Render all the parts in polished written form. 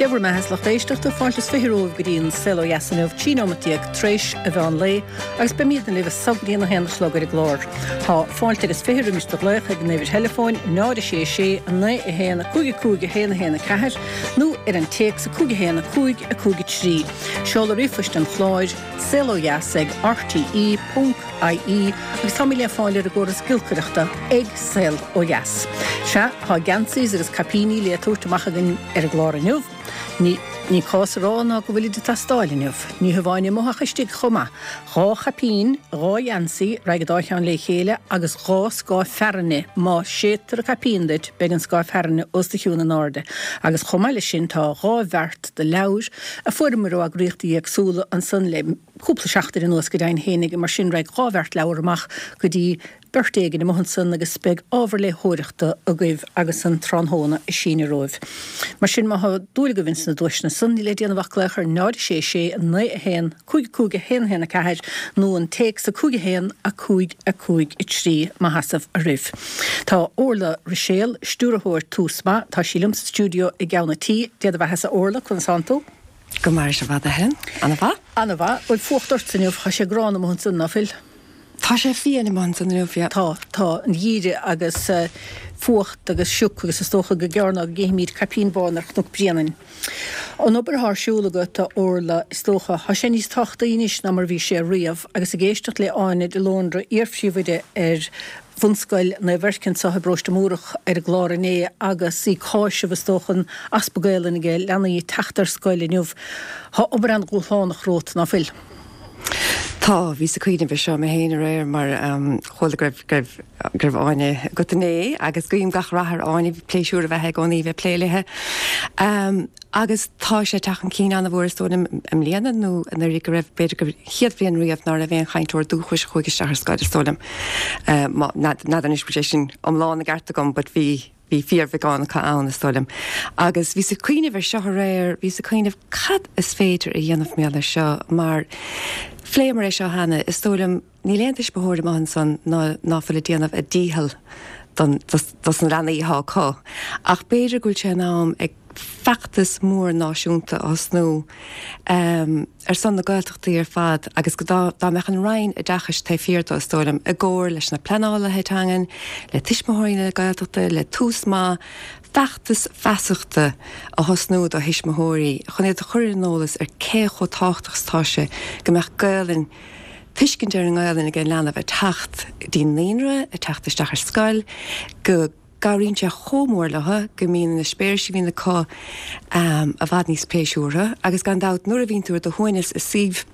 Dé bhur mbeatha is lucht éisteachta, fáilte is 20 romhaibh go dtí an Saol Ó Dheas inniu, 13 nóimeat tar éis an mheán lae, agus beimidne libh as so go dtí an 1 a chlog ar an gclár. Tá fáilte agus 20 roimis do ghlaoch ag an uimhir theileafóin 0 6 6 9 1 5 5 1 1 4 nó ar an téacs 5 1 5 5 3. Seoladh ríomhphoist an chláir, saolodheas ag rte ponc ie agus táimid le fáil ar an gcóras giolcaireachta ag Saol Ó Dheas. Sea, tá geansaís agus caipíní le tabhairt amach againn ar an gclár inniu. Ní ní cás a rá ná go bhfuilid ag teastáil inniu. Ní hamháin amuigh ach istigh chomh maith. Dhá chaipín, dhá gheansaí, raghaidh an dá cheann le chéile, agus dhá scáth fearthainne, má séidtear an caipín duit, beidh an scáth fearthainne os do chionn in airde. Agus chomh maith leis sin tá dhá bheart de leabhair a fuaireamar ó eagraíochtaí éagsúla ansan le cúpla seachtain anuas go deimhin fhéinig, mar sin raghaidh dhá bheart leabhar amach go dtí beirt éigin amuigh ansan agus beidh ábhar léitheoireachta agaibh agus an tráthnóna ag síneadh romhaibh. Mar sin, má thá dúil agaibh ins na duaiseanna san, níl le déanamh ach glaoch ar 0 6 6 9 1 5 5 1 1 4 nó an téacs 5 1 5 5 3 mo sheasamh oraibh. Tá Orla Ruiséal, stiúrthóir Tús Maith, tá sí liom sa stiúideo i gceann an tí. Dé do bheathasa Orla, conas tánn tú? Go maire sibh a Helen. Ana-mhaith. Ana-mhaith. Bhfuil fuacht ortsa inniu? Tá sé gránna amuigh ansan, ná fuil? Tá sé fiain amuigh ansan inniu, yeah. Tá, tá. An geimhreadh agus fuacht agus sioc agus is dócha gur gearr ná go gcífimid caipín bán ar Chnoc Bréanainn. An obair atá ar siúl agat, a Orla, is dócha, tá sé níos tábhachtaí anois ná mar a bhí sé riamh agus ag éisteacht le Áine de Lóndra, iar-phríomhoide ar Bhunscoil Naomh Eirce anseo i bParóiste Múrach ar an gclár inné agus í ag cáiseamh, is dócha, an easpa Gaelainne ag leanaí ag teacht ar scoil inniu. Tá obair an-dhúshlánach romhat, ná fuil? Tá, bhíos ag cuimhneamh ar seo mé féin aréir mar chuala go raibh, go raibh, go raibh Áine agat inné agus guím gach rath ar Áine, pléisiúr a bheith i gcónaí bheith ag plé léithe. Agus tá sé ag teacht chun cinn an-mhór is dóigh liom i mbliana nó anuraidh go raibh, b'fhéidir gur chéad bhliain riamh ná raibh aon chainteoir dúchais a chuaigh isteach ar scoil is dóigh liom. N'fheadar anois bhfuil sé sin iomlán i gceart agam but bhí, Bhí fíorbheagán acu ann, is dóigh liom. Agus bhíos ag cuimhneamh ar seo aréir, bhíos ag cuimhneamh cad is féidir a dhéanamh mar gheall air seo, mar phléamar é seo cheana, is dóigh liom, níl aon tuismitheoir amuigh ansan ná ná fuil ag déanamh a dícheall don, dos, dos na leanaí atá acu. Ach b'fhéidir go bhfuil sé in am ag feachtas mór náisiúnta a thosnú, ar son na Gaeltachtaí ar fad agus go dá dá mbeadh an Roinn Oideachais taobh thiar de, is dóigh liom, i gcomhar leis na pleanálaithe teangan, le Tuismitheoirí na Gaeltachta, le Tús Maith, feachtas feasachta a thosnú do thuismitheoirí chun iad a chur ar an eolas ar cé chomh tábhachtach is atá sé go mbeadh Gaelainn, tuiscint ar an nGaelainn ag an leanbh ag teacht go dtí an naíonra, ag teacht isteach ar scoil, go. Cabhraíonn sé chomh mór leo go mbíonn na heispéiris a bhíonn acu i bhfad níos pléisiúrtha agus gan dabht nuair a bhíonn tú ar do shuaimhneas i suíomh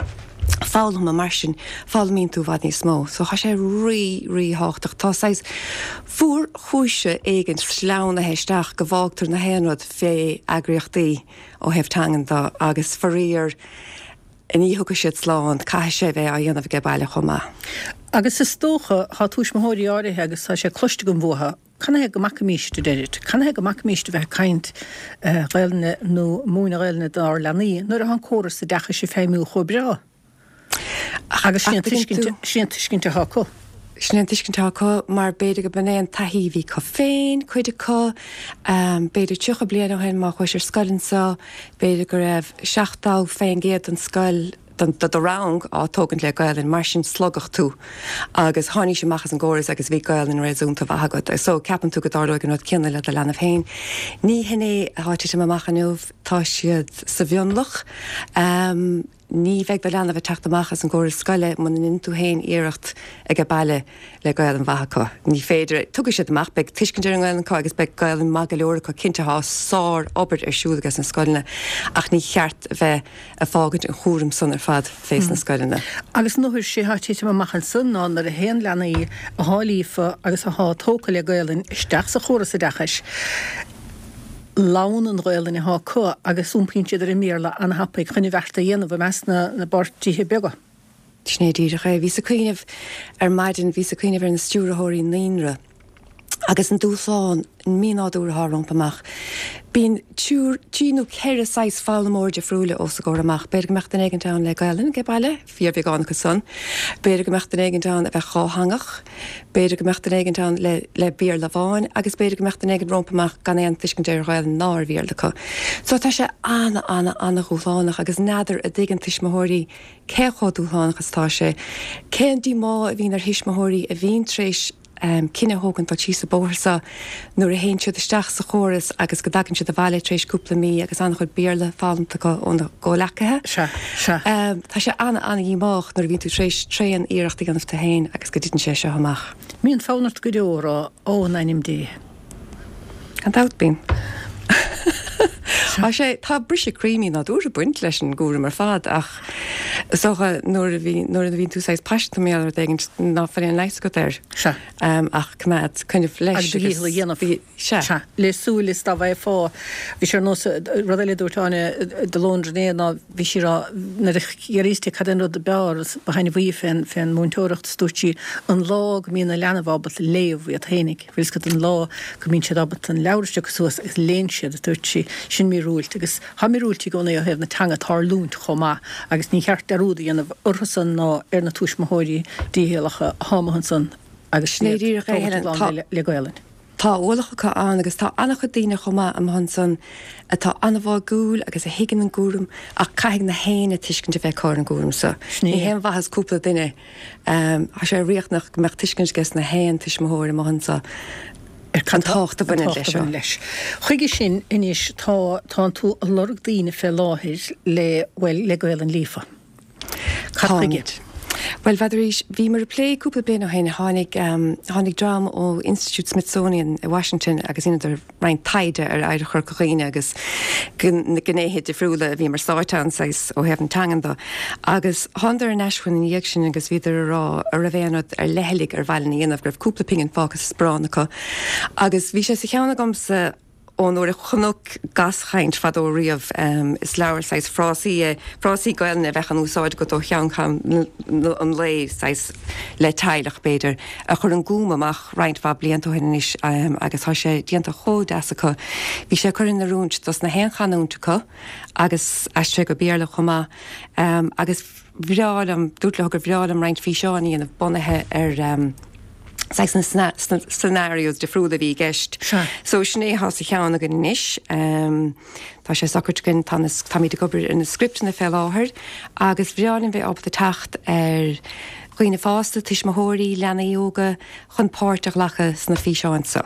foghlama mar sin, foghlaimíonn tú i bhfad níos mó. So tá sé rí, rí-thábhachtach. Tá saghas fuarchúis éigin sleamhnaithe isteach go bhfágtar na haon rud fé eagraíochtaí ó thaobh teangan de agus faraor, ní thiocfaidh siad slán, caithfidh sé bheith á dhéanamh age baile chomh maith. Agus is dócha, thá tuismitheoirí áirithe, agus tá sé cloiste agam uathu, canathaobh go mbacaimíst, a deirid, canathaobh go mbacaimíst a bheith ag caint Ghaelainne nó múineadh Ghaelainne dár leanaí nuair atá an córas oideachais ag feidhmiú chomh breá. Agus sin an tuiscint atá acu. Sin é an tuiscint atá acu mar b'fhéidir go b'in é an taithí a bhí acu féin, cuid acu. B'fhéidir 30 bliain ó shin má chuais ar scoil anseo, b'fhéidir go raibh 70% den scoil, de do rang á tógaint le Gaelainn, mar sin slogadh tú agus tháinís amach as an gcóras agus bhí Gaelainn réasúnta mhaith agat. So ceapann tú go dtarlóidh an rud céanna le do leanbh féin. Ní hin é atá ag titim amach inniu, tá siad sa mhionlach. Ní bheidh do leanbh ag teacht amach as an gcóras scoile muna ndeineann tú féin iarracht age baile le Gaelainn mhaith acu. Ní féidir. Tiocfaidh siad amach, beidh tuiscint ar an nGaelainn acu agus beidh Gaelainn maith go leor acu, cinnte tá sár obair ar siúl ages na scoileanna ach ní cheart a bheith ag fágaint an chúram san ar fad fés na scoileanna. Agus an uair sé thá titim amach ansan ná nuair a théann leanaí athá líofa agus athá tógtha le Gaelainn isteach sa chóras oideachais, Leann an Ghaelainn athá acu agus iompaíonn siad ar an mBéarla an-thapaidh chun an bheart a dhéanamh i measc na bpáirtithe beaga. Sin é díreach é. Bhíos ag cuimhneamh ar maidin, bhíos ag cuimhneamh ar na stiúrthóirí naíonra. Agus an dúshlán mínádúrtha atá rompu amach. Bíonn triúr, trí nó ceithre saghas foghlaimeoir difriúla os a gcomhair amach. B'fhéidir go mbeadh duine éigint ann le Gaelainn age baile, fíorbheagán acu san. B'fhéidir go mbeadh duine éigint ann a bheadh dhátheangach. B'fhéidir go mbeadh duine éigint ann le le Béarla amháin agus b'fhéidir go mbeadh duine éigint rompu amach gan aon tuiscint ar Ghaelainn ná ar Bhéarla acu. So tá sé ana, ana, ana-dhúshlánach agus n'fheadar a dtuigeann tuismitheoirí cé chomh dúshlánach is atá sé. Cén díomá a bhíonn ar thuismitheoirí a bhíonn tar éis cinneadh a thógaint dul síos an bóthar seo nuair a théann siad isteach sa chóras agus go dtagann siad abhaile tar éis cúpla mí agus an-chuid Béarla foghlamtha acu óna gcomhleacaithe. Sea, sea. Tá sé an-an-dhíomách nuair a bhíonn tú tar éis tréan iarracht a dhéanamh tú féin agus go dtiteann sé seo amach. Mbíonn fonn ort go deo a rá, Ó, in ainm Dé. Gan dabht bíonn. Tá sé, tá briseadh croí mínádúrtha ag baint leis an gcúram ar fad ach is dócha nuair a bhí, nuair a bhíonn tú saghas paiseanta mar gheall ar rud éigin ná fuil aon leigheas agat air. Sea. Ach coimeád, coinnibh leis agus. Agus do dhícheall a dhéanamh. Sea. Sea. Le súil is dá bhfaighfeá. Bhí sé ar nós, rud eile a dúirt Áine de Londra inné ná bhí sí ag rá nuair a fhiafraíos di cad é an rud ab fhearr is ba thaitneamhaí fén, fén múinteoireacht is dúirt sí an lá go mbíonn na leanbh ábalta léamh iad fhéinig. Bhfuil fhios agat an lá go mbíonn siad ábalta an leabhar a phiocadh suas agus léann siad, a dúirt sí. Sin míorúilt. Agus tá míorúiltí i gcónaí ó thaobh na teanga ag tarlúint chomh maith agus ní cheart dearúd a dhéanamh orthusan ná ar na tuismitheoirí dícheallacha athá amuigh ansan agus Sin é iad díreach é, tógailt a Helen. gclann Tá. le Gaelainn. Tá ualach acu ann agus tá an-chuid daoine chomh maith amuigh ansan atá an-bháúil agus a thuigeann an gcúram ach caithfidh na héinne tuiscint a bheith acu ar an gcúram so. Sin Ní é. haon mhaitheas cúpla duine. Tá sé riachtanach go mbeadh tuiscint ages na haon tuismitheoir amuigh anso ar an tábhacht a bhaineann leis seo. leis. Chuige sin anois tá tánn tú ag lorg daoine fé láthair le, bhuel, le Gaelainn líofa. Cad chuige? Táimid. Bhuel, bhfeadaraís, bhíomar ag plé cúpla bliain ó shin, tháinig, tháinig dream ó Institiúid Smithsonian i Washington agus dheineadar roinnt taighde ar oidhreacht Chorca Dhuibhne agus na gnéithe difriúla a bhí mar stáit ann, saghas, ó thaobh na teangan do. Agus thánadar ar ais chugainn ina dhiaidh sin agus bhíodar ag rá a' raibh aon rud ar leithligh ar mhaith linn a dhéanamh, go raibh cúpla pingin fágtha sa sparán acu. Agus bhí sé sa cheann agamsa ón uair a chonac Gaschaint fadó riamh, is leabhar saghas frásaí é, frásaí Gaelainne a bheadh in úsáid agat ó cheann ceann an lae, saghas le teaghlach, b'fhéidir, a chuir an Gúm amach roinnt mhaith blianta ó shin anois agus tá sé déanta chomh deas acu. Bhí sé curtha in oiriúint dos na haon chanúint acu agus aistrithe go Béarla chomh maith agus bhreá liom, dúirt leo gur bhreá liom roinnt físeáin a dhéanamh bunaithe ar saghas na scenarios difriúla a bhí i gceist. Sea. So sin é atá sa cheann againn anois. Tá sé socraithe againn, tá na, táimid ag obair ar na scripteanna fé láthair agus bhreá linn bheith ábalta teacht ar dhaoine fásta, tuismitheoirí, leanaí óga chun páirt a ghlacadh sna físeáin so.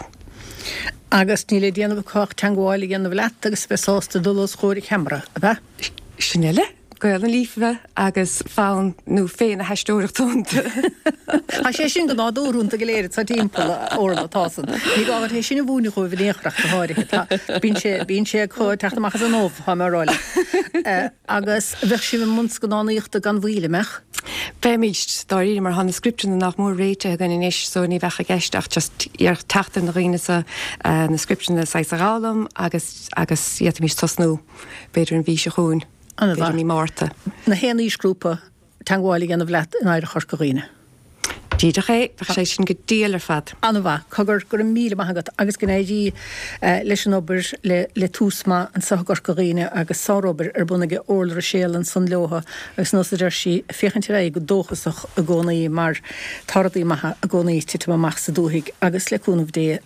Agus níl le déanamh acu ach teangmháil a dhéanamh leat agus a bheith sásta dul os chomhair an cheamara, ab ea? Sin uile. Gaelainn líofa agus fonn nó féith na haisteoireachta iontu. Tá sé sin go nádúrtha iontu go léir atá timpeall, a Orla, tá san. Ní gá duit é sin a mhúineadh dhóibh in aon chor ach go háirithe. Tá, bíonn sé, bíonn sé acu ag teacht amach as an ubh, tá mé a rá leat. Agus bheadh sibh i mbun scannánaíochta gan mhoill, an mbeadh? Beimid, dáiríre, mar tá na scripteanna nach mór réitithe againn anois so ní bheadh i gceist ach just iarracht teacht ar na dhaoine so, na scripteanna saghas a dh'fhoghlaim agus, agus d'fhéadfaimis tosnú b'fhéidir an mhí seo chugainn. An-mhaith. B'fhéidir mí Márta. Na haon aoisghrúpa teangmháil a dhéanamh leat in Oidhreacht Chorca Dhuibhne. Díreach é, bheadh sé sin go diail ar fad. An-mhaith. Cogar, go raibh míle maith agat agus go n-éirí leis an obair le le Tús Maith anseo i gCorca Dhuibhne agus sárobair ar bun aige Orla Ruiséal ansan leotha agus nós a deir sí, féachaint ar aghaidh go dóchasach i gcónaí mar tá rudaí maithe i gcónaí ag titim amach sa dúthaigh agus le cúnamh Dé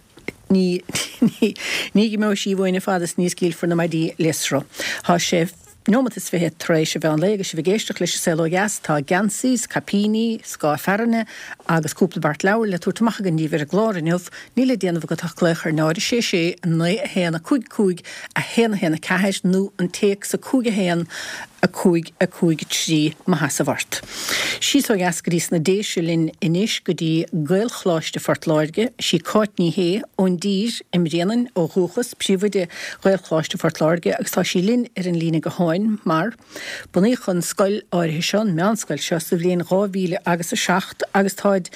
Ní, ní, ní dh'imeoidh sí uainn fad is ní scaoilfear na maidí le sruth. Tá sé neomat is fiche tar éis an mheán lae agus sibh ag éisteacht leis an Saol Ó Dheas. Tá geansaí 's caipíní, scáth fearthainne agus cúpla beart leabhar le tabhairt amach againn daoibh ar an gclár inniu. Níl le déanamh agat ach glaoch ar 0 6 6 9 1 5 5 1 1 4 nó an téacs 5 1 5 5 3 Maith as a bhfort. Síos ó dheas go dtí sna Déise linn anois go dtí Gaelcholáiste Phort Láirge. Sí Cáit Ní Shé ón dTír i mBréanainn ó dhúchas, príomhoide Ghaelcholáiste Phort Láirge agus tá sí linn ar an líne gutháin mar bunaíodh an scoil áirithe seo, an meánscoil seo, sa bhliain 2000 agus 7 agus táid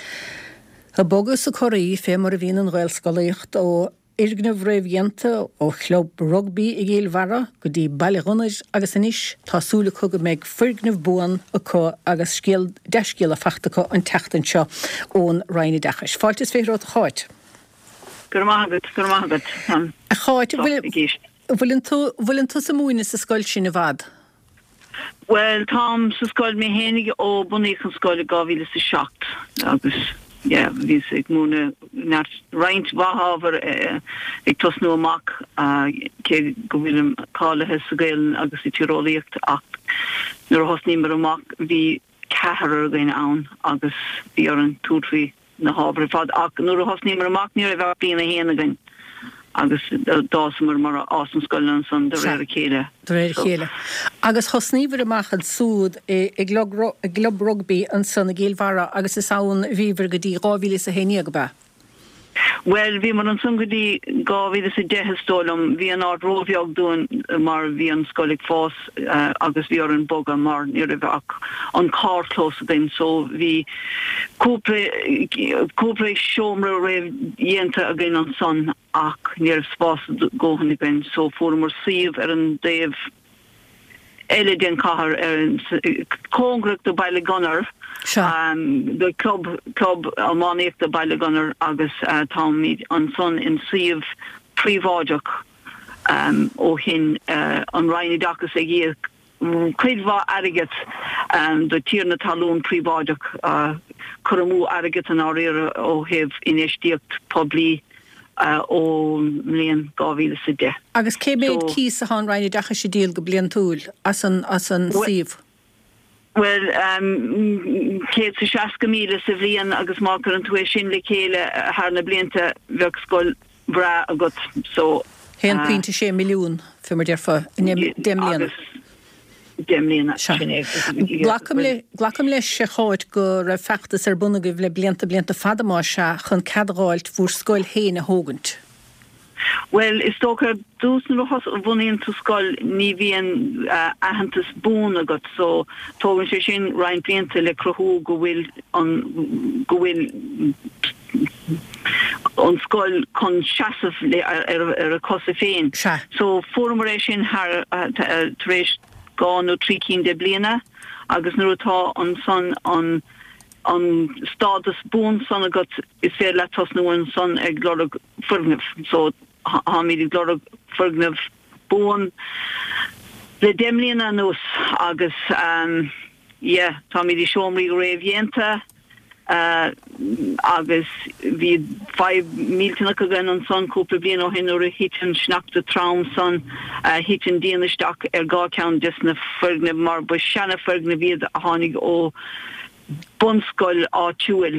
ag bogadh is ag corraí fé mar a bhíonn an Ghaelscolaíocht ó fhoirgneamh réamhdhéanta ó chlub rugbaí i gCill Bharra go dtí Baile Ghunnair agus anois tá súil acu go mbeidh foirgneamh buan acu agus scéal, dea-scéala fachta acu an tseachtain seo ón Roinn Oideachais. Fáilte is 20 romhat a Cháit. Go raibh maith agat, go raibh maith agat. Táim A Cháit, sásta bhfuil, ag éisteacht. bhfuileann tú, bhfuileann tusa ag múineadh sa scoil sin i bhfad? Bhuel, táim sa scoil mé fhéinig ó bunaíodh an scoil i 2007 agus yeah, bhíos ag múineadh neart, roinnt mhaith ábhar ag tosnú amach cé go bhfuilim cáilithe sa Ghaelainn agus sa Tíreolaíocht ach nuair a thosnaíomar amach bhí ceathrar againn ann agus bhí orainn tabhairt faoi na hábhair ar fad ach nuair a thosnaíomar amach ní raibh ach bliain a haon againn agus d'fhásamar mar a fhásann scoileanna ansan de réir a chéile. De réir a chéile. Agus thosnaíobhair amach ansúd i gclub rugbaí ansan i gCill Bharra agus is ann a bhíobhair go dtí 2011, ab ea? Bhuel, bhíomar ansan go dtí 2010 is dóigh liom. Bhí an áit róbheag dúinn mar bhí an scoil ag fás agus bhí orainn bogadh mar ní raibh ach an carrchlós againn so bhí cúpla cúpla seomra réamhdhéanta againn ansan ach ní raibh spás a dhóthain againn so fuaireamar suíomh ar an dtaobh eile den chathair ar an cóngarach do Baile Gunnair do club club iománaíochta Baile Gunnair agus táimid ansan in suíomh príobháideach ó shin an Roinn Oideachais ag íoc cuid mhaith airgead do tiarna talún príobháideach cur amú airgead i ndáiríre ó thaobh infheistíocht poiblí ón mbliain 2010. Agus cé mhéad cíos atá an Roinn Oideachais ag díol go bliantúil as an suíomh? Bhuel, 160,000 sa bhliain agus má chuireann tú é sin le chéile thar na blianta bheadh scoil bhreá agat. So. 1.6 milliún, fé mar déarfá, i ndeich mbliana. 10 mbliana, sin é. Glacaim le, glacaim leis, a Cháit, go raibh feachtas ar bun agaibh le blianta, blianta fada más ea, chun cead a dh'fháilt bhúr scoil féin a thógaint. Bhuel, is dócha ar dtús nuair a bhunaíonn tú scoil ní bhíonn aitheantas buan agat so tógann sé sin roinnt blianta le cruthú go bhfuil an, go bhfuil an scoil chun seasamh le, ar a cosa féin. Sea. So fuaireamar é sin thar, tar éis 2 nó 3 cinn de bliana agus nuair atá ansan an, an stádas buan san agat is féidir leat tosnú ansan ag lorg foirgneamh. So táimid ag lorg foirgneamh buan le 10 mbliana anuas agus yeah táimid i seomraí réamhdhéanta agus bhí fadhb millteanach againn ansan cúpla bliain ó shin nuair a thit an sneachta trom san, thit an díon isteach ar dhá cheann des na foirgnimh mar ba seana foirgnimh iad a tháinig ó bunscoil áitiúil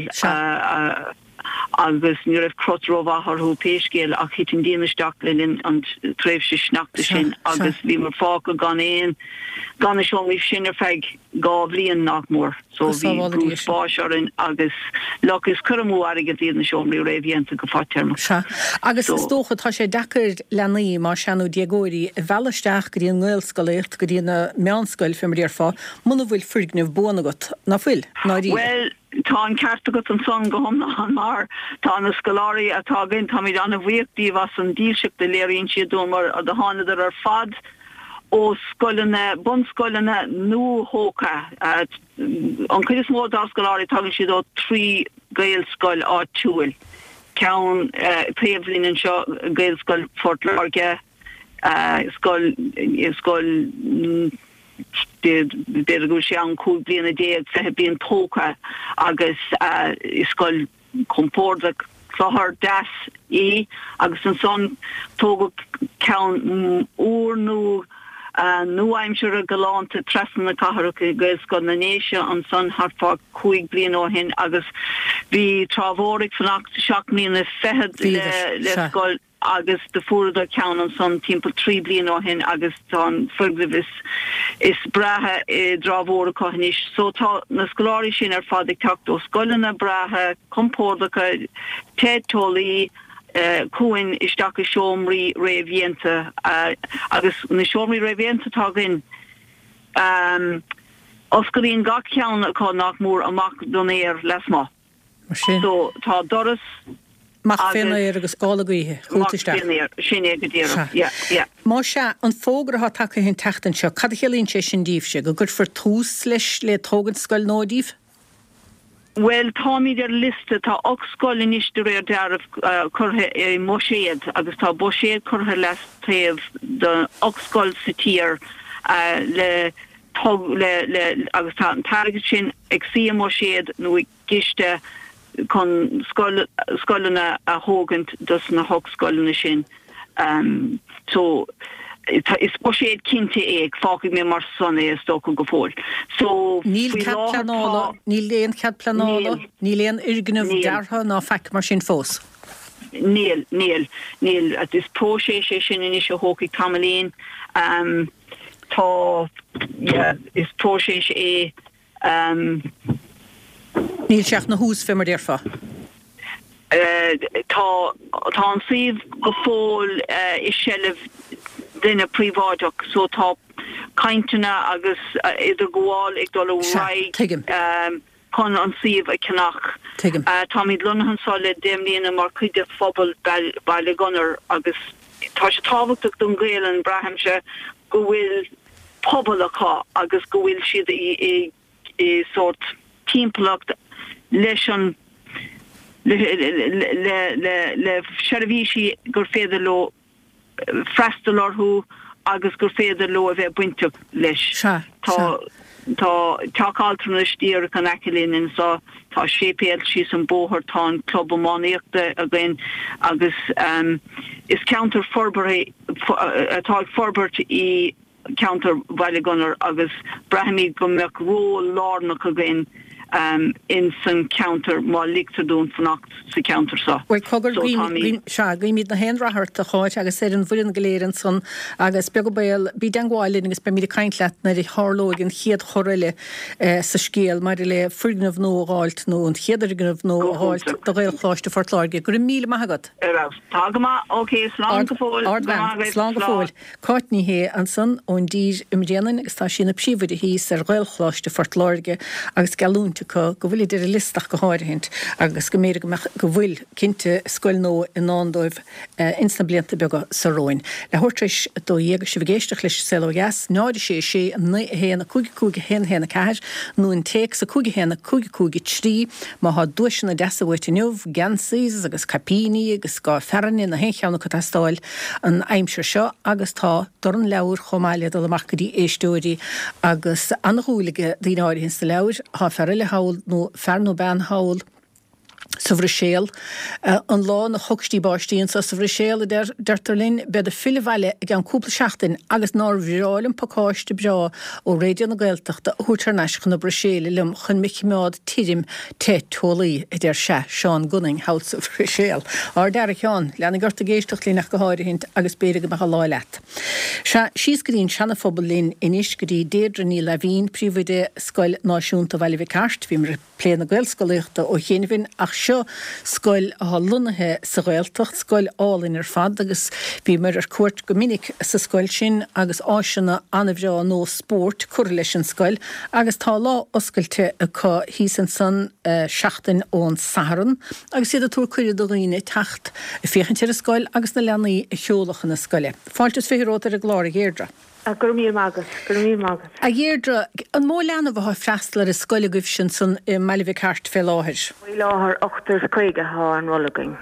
agus ní raibh crot rómhaith orthu pé scéal ach thit an díon isteach le linn an tréimhse sneachta sin agus bhíomar fágtha gan aon gan na seomraí sin ar feadh 2 bhliain nach mór so bhí brú spáis orainn agus look is cur amú airgead iad na seomraí réamhdhéanta go fadtéarmach. Sea. Agus is dócha tá sé deacair leanaí, más ea nó déagóirí, a mhealladh isteach go dtí an nGaelscolaíocht, go dtí an meánscoil fé mar a déarfá, muna bhfuil foirgneamh buan agat, ná fuil, ndáiríre? Bhuel, tá an ceart agat ansan go hiomlán mar tá na scoláirí atá againn, táimid an-bhuíoch díobh as an dílseacht a léiríonn siad dúinn mar do thánadar ar fad ó scoileanna, bunscoileanna nuathógtha. An chuid is mó dár scoláirí tagann siad ó thrí Ghaelscoil áitiúil, ceann taobh linn anseo, Gaelscoil Phort Láirge, scoil, scoil b'fhéidir go bhfuil sé ann 15 bliana, 20 bliain tógtha agus scoil compordach cluthar deas í agus ansan tógadh ceann úr nua nua-aimseartha galánta trasna na cathrach i Gaelscoil na nDéise ansan thart fá chúig bliana ó shin agus bhí Trá Mhór ag fanacht seacht mbliana fichead le scoil agus do fuaireadar ceann ansan timpeall 3 bliana ó shin agus tá an foirgneamh is is breátha i dTrá Mhór acu anois. So tá na scoláirí sin ar fad ag teacht ó scoileanna breátha, compordacha, te teolaí, chugainn isteach i seomraí réamhdhéanta agus na seomraí réamhdhéanta atá againn, osclaíonn gach ceann acu nach mór amach don aer lasmuigh. Mar sin. So, tá doras Amach fén aer agus gála gaoithe chugat isteach. Amach fén aer, sin é go díreach. Yeah, yeah. Más ea, an fógra atá tagtha an tseachtain seo, cad a chiallaíonn sé sin díbhse? Go gcuirfear tús leis le tógaint scoil nua díbh? Bhuel, táimid ar liosta. Tá 8 scoil anois de réir dealraimh curtha i mbuiséad agus tá buiséad curtha leataobh do 8 scoil sa tír le le le agus tá an t-airgead sin ag suí i mbuiséad nó i gciste chun scoil scoileanna a thógaint dos na hocht scoileanna sin. So is buiséad cinnte é, fágfaidh mé mar san é is dócha go fóill. So Níl faoi cead láthair pleanála, tá. níl aon chead pleanála, Níl. níl aon fhoirgneamh Níl. deartha ná faic mar sin fós. Níl, níl, níl. Is próiseas é sin anois a thógfaidh tamaillín. Tá, yeah, is próiseas é. Níl sé ach ina thús, fé mar déarfá. Tá, tá an suíomh go fóill i seilbh duine príobháideach so tá cainteanna agus idirghabháil ag dul ar Sea, aghaidh tuigim. chun an suíomh a cheannach. Tuigim. Táimid lonnaithe anseo le 10 mbliana mar chuid de phobal Baile Gunnair agus tá sé tábhachtach don Ghaelainn, braithimse, go bhfuil pobal acu agus go bhfuil siad i sórt timpeallacht leis an le le le seirbhísí gur féidir leo freastal orthu agus gur féidir leo a bheith bainteach leis. Sea, Tá sea. tá teach altranais díreach in aice linn anseo, tá séipéal síos an bóthar, tá an club iománaíochta againn agus is ceantar forbartha atá ag forbairt í ceantar Bhaile Gunnair agus braithimid go mbeadh ról lárnach againn in san cheantar má ligtear dúinn fanacht sa cheantar seo. Bhuel, cogar, So guím, táimid. guím, sea, guímid na haon rath ort, a Cháit, agus ar an bhfoireann go léir ansan agus beag an baol, bí i dteangmháil linn agus beimid ag caint leat nuair a tharlóidh an chéad chor eile sa scéal maidir le foirgneamh nua a dh'fháilt nó an chéad fhoirgneamh nua Go a dh'fháilt hiontach. do Ghaelcholáiste Phort Láirge. Go raibh míle maith agat. Ar fheabhas. Tá go maith. Ok, slán go fóill. Go Ardbhean. maith agaibh. Slán go Slán. fóill. Cáit Ní Shé ansan ón dTír i mBréanainn agus tá sí ina príomhoide thíos ar Ghaelcholáiste Phort Láirge agus geallúint acu go bhfuilid ar an liosta ach go háirithint agus go mb'fhéidir go mbeadh, go bhfuil, cinnte, scoil nua i ndán dóibh ins na blianta beaga so romhainn. Leathuair tar éis 12 agus sibh ag éisteacht leis An Saol Ó Dheas, 0 6 6 9 1 5 5 1 1 4 nó an téacs 5 1 5 5 3 má thá duaiseanna deasa uait inniu, geansaí agus caipíní agus scáth fearthainne nó aon cheann acu ag teastáil an aimsir seo agus tá dorn leabhar chomh maith le dul amach go dtí éisteoirí agus an-dhúil ag daoine áirithe ins na leabhair. Thá fear eile thall nó fear nó bean thall sa Bhruiséal. An lá na chocstí báistí anso sa Bhruiséal, a deirtear linn, bead ag filleadh abhaile i gceann cúpla seachtain agus nár bhreá liom pacáiste breá ó Raidió na Gaeltachta a thabhairt thar n-ais chun na Bruiséile liom chun me chimeád tirim te teolaí, a deir sea, Seán Gunning thall sa Bhruiséal. Ár dtear, a Sheáin, leanaigh ort ag éisteacht linn ach go háirithint agus b'fhéidir go mbeadh an lá leat. Sea, síos go dtí an Seana-Phobal linn anois, go dtí Deirdre Ní Laimhín, Príomhoide Scoil Náisiúnta Bhaile Mhic Airt. Bhíomar ag. plé na Gaelscolaíochta ó chianaibh ach seo scoil atá lonnaithe sa Ghaeltacht, scoil álainn ar fad agus bhíomar ar cuairt go minic sa scoil sin agus áiseanna an-bhreá nua spóirt curtha leis an scoil agus tá lá oscailte acu thíos ansan seachtain ón Satharn agus iad ag tabhairt cuireadh do dhaoine teacht ag féachaint ar an scoil agus na leanaí a sheoladh chun na scoile. Fáilte is 20 romhat ar an gclár a Dheirdre. Go raibh míle maith agat. Go raibh míle maith agat. A Dheirdre, an mó leanbh atá ag freastal ar an scoil agaibhse ansan i mBaile Mhic Airt fé láthair? Faoi láthair, ochtar is 50 atá ar an rolla againn.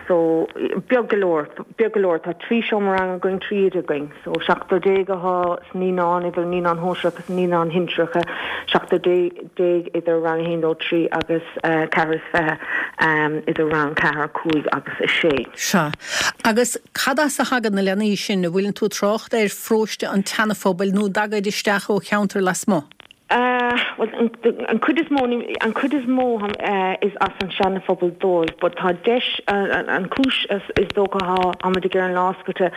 So, beag go leor, beag go leor. Tá 3 seomra ranga againn, 3 oide againn. So, seachtar déag atá sna naíonáin, idir naíonáin shóisearacha agus naíonáin shinsearacha, seachtar déag idir rang a haon, dó, trí agus ceathrar is fiche idir rang ceathair, cúig agus a sé. Sea. Agus cad as a thagann na leanaí sin? An bhfuileann tú ag trácht ar pharóiste an tSeana-Phobail nó an dtagaid isteach ó cheantair lasmuigh? Bhuel, an chuid is mó, an chuid is mó is as an Seana-Phobal dóibh, but tá deis, an chúis is dócha tháimid ag iarraidh an lá oscailte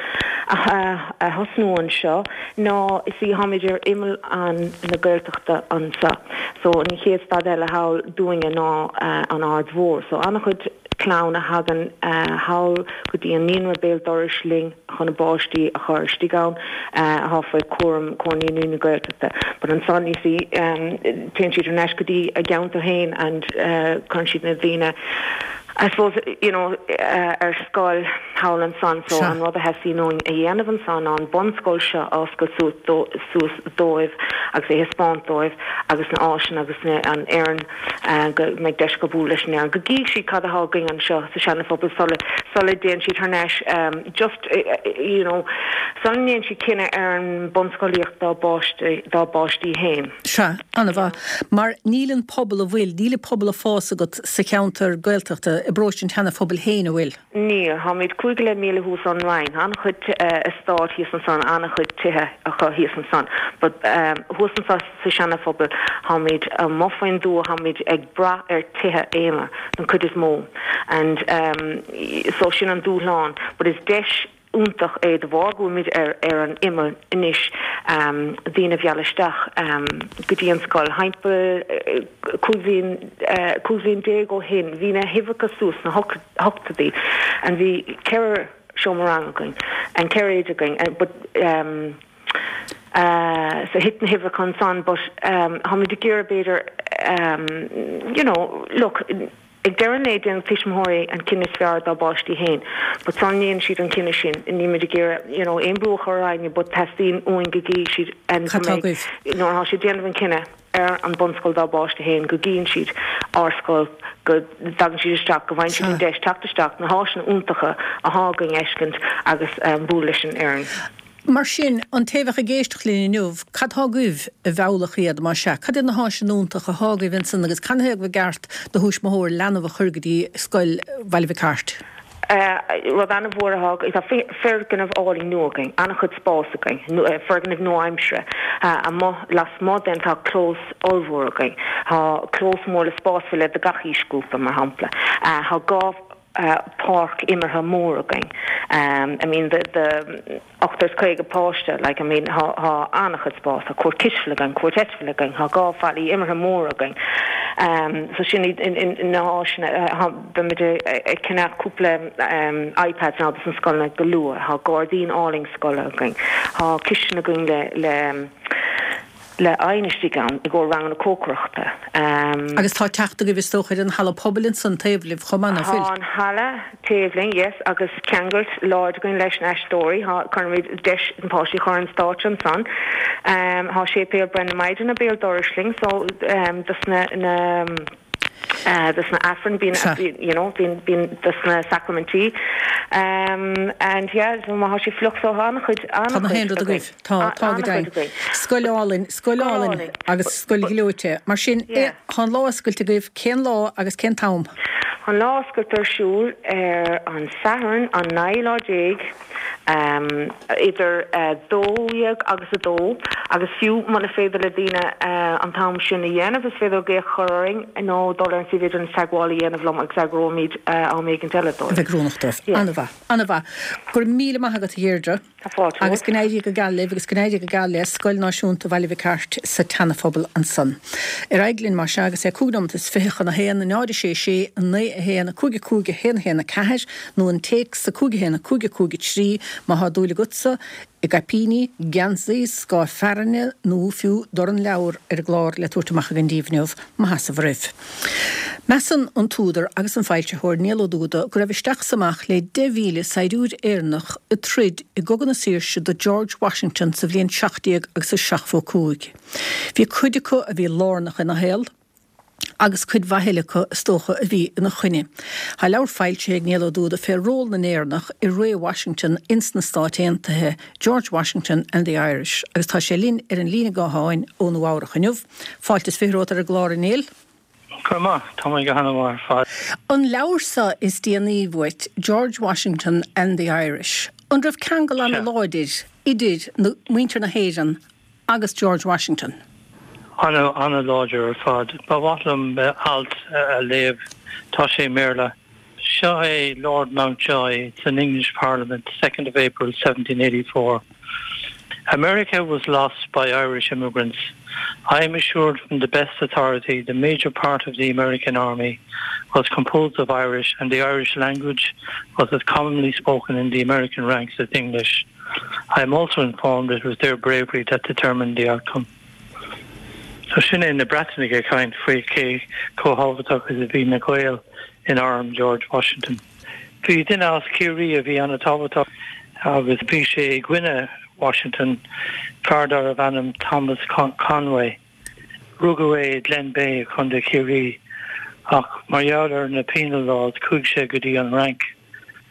a thosnú anseo ná you see tháimid ar imeall an na Gaeltachta anseo. So an chéad stad eile thall dúinne ná an Aird Mhór. So an-chuid clann a thagann thall go dtí an naíonra béal dorais linn chun a bpáistí a chur istigh ann atá faoi chúram Comhar Naíonraí na Gaeltachta. But ansan you see téann siad thar n-ais go dtí a gceantar féin and cuireann siad na daoine. I suppose, you know, ar scoil thall ansan so an rud a theastaíonn uainn a dhéanamh ansan ná an bunscoil seo a oscailt suas dóibh agus é a thaispeáint dóibh agus na áiseanna agus na, an fhoireann, go mbeidh deis acu bualadh leis an fhoireann, go gcífidh siad cad atá againn anseo sa Seana Phobal sula, sula dtéann siad thar n-ais just, you know, sula ndéanann siad cinneadh ar an bunscolaíocht dá bpáistí, dá bpáistí féin. Sea, an-mhaith. Mar níl an pobal a bhfuil, níl an pobal ag fás agat sa cheantar Gaeltachta, i bparóiste an tSeana Phobail féin, an bhfuil? Níl. Táimid cúig go leith míle thuas ón Rinn. Tá an-chuid eastát thíos ansan, an-chuid tithe acu thíos ansan. But thuas anso sa Seana Phobal, táimid amuigh faoin dtuath, táimid ag brath ar tithe aonair don chuid is mó. And so sin an dúshlán. But is deis iontach é de bharr go bhfuilimid ar ar an imeall anois daoine a mhealladh isteach go dtí an scoil. Thimpeall 15 bhliain 15 bhliain ó shin bhí na huimhreacha suas sna hochtóidí and bhí ceithre seomra ranga againn and ceithre oide againn but so thit na huimhreacha ansan but táimid ag iarraidh b'fhéidir you know look Ag deireadh an lae, déanann tuismitheoirí an cinneadh is fearr dá bpáistí féin. But sula ndéanann siad an cinneadh sin, nílimid ag iarraidh, you know, aon brú a chur ar éinne but teastaíonn uainn go gcífidh siad and go Cad tá mbeidh, agaibh? nuair atá siad ag déanamh an cinneadh ar an bunscoil dá bpáiste féin, go gcíonn siad ár scoil, go dtagann siad isteach, go bhfaigheann siad an Sea. deis teacht isteach, na háiseanna iontacha athá againn a fheiscint agus bualadh leis an fhoireann. Mar sin, an té a bheadh ag éisteacht linn inniu, cad tá agaibh a mheallfadh iad, más ea? Cad iad na háiseanna iontacha athá agaibh ansan agus canathaobh ba gceart do thuismitheoir leanbh a chur go dtí scoil Bhaile Mhic Airt? Rud an-mhór athá againn, tá foirgneamh álainn nua againn, an-chuid spáis againn, foirgneamh nua-aimseartha. Amuigh lasmuigh den tá clós ollmhór againn, tá clós mór le spás faoi leith do gach aoisghrúpa, mar shampla. Tá 2 páirc imeartha mór againn. I mean the the 58 páiste like I mean thá thá an-chuid spás, tá cúirt cispheile againn, cúirt eitpheile againn, thá 2 fallaí imeartha móra againn. So sin iad na háiseanna. Thá beimid ag ceannach cúpla iPads now dos na scoileanna go luath. Thá gairdín álainn scoile againn. Thá cistin againn le le le oigheann istigh ann i gcomhair ranganna cócaireachta. Agus tá teacht agaibh is dócha ar an halla pobail ansan taobh libh chomh maith, ná fuil? Tá an halla taobh linn, yes, agus ceangailt láidir againn leis na haisteoirí. Tá, cuirimid deis na páistí a chur ar an stáitse ansan. Tá séipéal Breith na Maighdine béal dorais linn so dos na, na, dos na Aifrinn bíonn, you know, bíonn, bíonn dos na sacraimintí. And yeah, so má tá sé fliuch so tá an-chuid, Tá na an-chuid haon rud againn. agaibh. Tá, tá go An-chuid deimhin. againn. Scoil álainn, scoil Scoil álainn álainn. agus scoil ghleoite. Mar sin, Yeah. tá an lá oscailte agaibh, cén lá agus cén t-am? Tá an lá oscailte ar siúl ar an Satharn an 19 lá idir 12 agus 2 agus fiú muna féidir le daoine an t-am sin a dhéanamh is féidir glaoch a chur orainn nó dul ar an suíomh idirlín is teagmháil a dhéanamh liom agus eagróimid am éigint eile A dóibh. bheidh oiriúnach dóibh. Yeah. An-mhaith, an-mhaith. Go raibh míle maith agat a Dheirdre. Tá fáilte Agus romhat. go n-éirí go geal libh agus go n-éirí go geal le Scoil Náisiúnta Bhaile Mhic Airt sa tSeana-Phobal ansan. Ar aghaidh linn mar sea agus é cúig nóimeat is fiche chun a haon, 0 6 6 9 1 5 5 1 1 4 nó an téacs 5 1 5 5 3 má thá dúil agatsa i gcaipíní, geansaí, scáth fearthainne nó fiú dorn leabhar ar an gclár le tabhairt amach againn díbh inniu, mo sheasamh oraibh. Measann an t-údar agus an foilsitheoir Niall Ó Dúda go raibh isteach is amach le 10,000 saighdiúir Éireannach ag troid i gCogadh na Saoirse do George Washington sa bhliain 17 agus a 75. Bhí cuid acu a bhí lárnach ina shaol, agus cuid mhaith eile acu, is dócha, a bhí ina choinne. Tá leabhar foilsithe ag Niall Ó Dúda fé ról na nÉireannach i ré Washington ins na Stáit Aontaithe, George Washington and the Irish, agus tá sé linn ar an líne gutháin ó Nua Eabhrach inniu. Fáilte is fiche romhat ar an gclár, a Néill. Go raibh maith. Tá mé go hana-mhaith ar fad. An leabhar seo is déanaí uait, George Washington and the Irish, an raibh ceangal ana-láidir idir na, muintir na hÉireann agus George Washington? Ana, ana-láidir ar fad. Ba mhaith liom alt a léamh. Tá sé i mBéarla. Seo é Lord Mountjoy it's in English Parliament, 2nd of April 1784. America was lost by Irish immigrants. I am assured from the best authority the major part of the American army was composed of Irish and the Irish language was as commonly spoken in the American ranks as English. I am also informed it was their bravery that determined the outcome. So sin é na Breatanaigh ag caint faoi cé chomh thábhachtach is a bhí na Gaeil in arm George Washington. Bhí duine as Ciarraí a bhí an-tábhachtach agus bhí sé i gcoinne Washington, fear darbh ainm Thomas Conway. Rugadh é i Glenbeigh, Contae Chiarraí, ach mar gheall ar na penal laws chuaigh sé go dtí an Fhrainc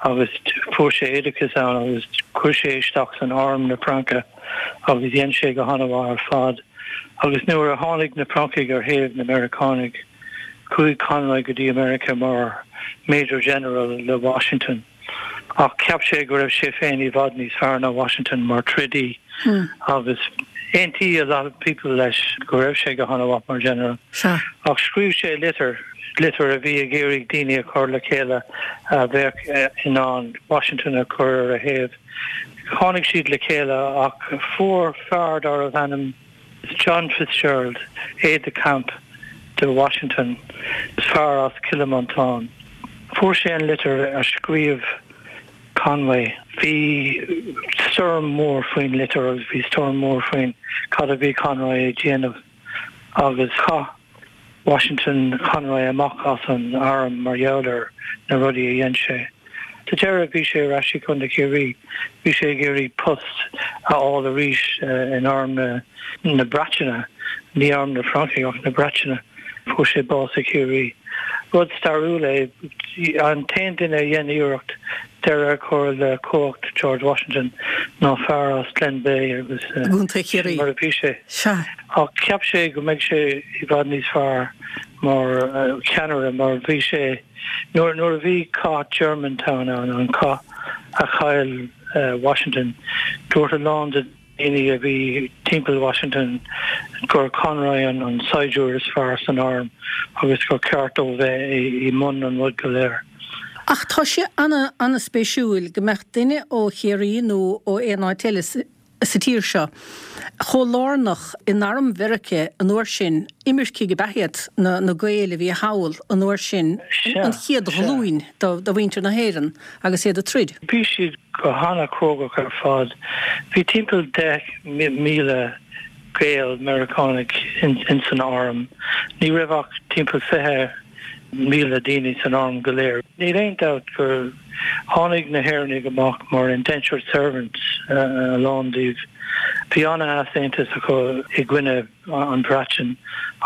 agus fuair sé oideachas ann agus chuir sé isteach san arm na Fraince agus dhein sé go han-mhaith ar fad. Agus nuair a tháinig na Francaigh ar thaobh na Meiriceánaigh, chuaigh Conway go dtí America mar Major General le Washington. Ach cheap sé go raibh sé féin i bhfad níos fearr ná Washington mar trodaí agus aontaigh a lot of people leis go raibh sé go han-mhaith mar General. Ach scríobh sé litir, litir a bhí ag iarraidh daoine a chur le chéile a bheadh in ann Washington a chur ar a thaobh. Tháinig siad le chéile ach fuair fear darbh ainm John Fitzgerald, aide de camp do Washington, fear as Cill Mhantáin. Fuair sé an litir a scríobh Conway. Bhí stoirm mór faoin litir agus bhí stoirm mór faoin cad a bhí Conroy ag déanamh agus chaith Washington Conroy amach as an arm mar gheall ar na rudaí a dhein sé. Sa deireadh bhí sé ar ais i gContae Chiarraí. Bhí sé ag iarraidh post a fháil arís in arm na Breataine, ní arm na Francaigh ach na Breataine. Fuair sé bás i Ciarraí. Rud stairiúil é. An t-aon duine a dhein iarracht deireadh a chur le cumhacht George Washington ná fear as Glenbeigh agus sin mar a bhí sé. Ach cheap sé go mbeidh sé i bhfad níos fearr mar cheannaire mar bhí sé nuair nuair a bhí cath Germantown ann, an cath a chaill Washington, dúirt a lán de daoine a bhí timpeall Washington gur Conroy an an saighdiúir is fearr san arm agus gur ceart dó bheith i mbun an rud go léir. Ach tá sé ana ana-spéisiúil go mbeadh duine ó Chiarraí nó ó aon áit eile sa tír seo chomh lárnach in arm Mheiriceá an uair sin, imircigh ab ea iad na Gaeil a bhí thall an uair sin, an chéad ghlúin de mhuintir na hÉireann agus iad ag troid. Bhí siad go hana-chrógach ar fad. Bhí timpeall 10,000 Gael Meiriceánaigh ins an arm. Ní raibh ach timpeall 20,000 daoine san arm go léir. Níl aon dabht gur tháinig na hÉireannaigh amach mar indentured servants, a lán díobh. Bhí ana-easaontas acu i gcoinne an Bhreatain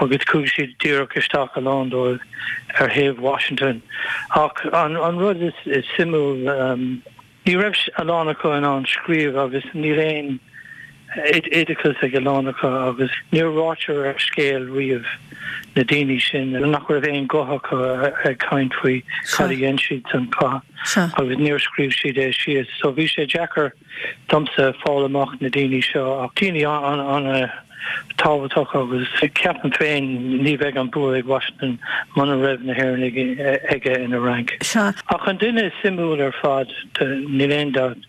agus chuaigh siad díreach isteach a lán dóibh ar thaobh Washington. Ach an rud is suimiúil, ní raibh a lán acu in ann scríobh agus níl aon oideachas ag a lán acu agus níor ráitear ar scéal riamh na daoine sin nach raibh aon guth acu ag caint faoi cad a dhein siad san chath agus níor scríobh siad é síos. So bhí sé deacair domsa fáil amach na daoine seo ach daoine an-tábhachtach agus ceapaim féin ní bheidh an bua ag Washington muna raibh na hÉireannaigh aige ina rank. Ach an duine is suimiúil ar fad, níl aon dabht,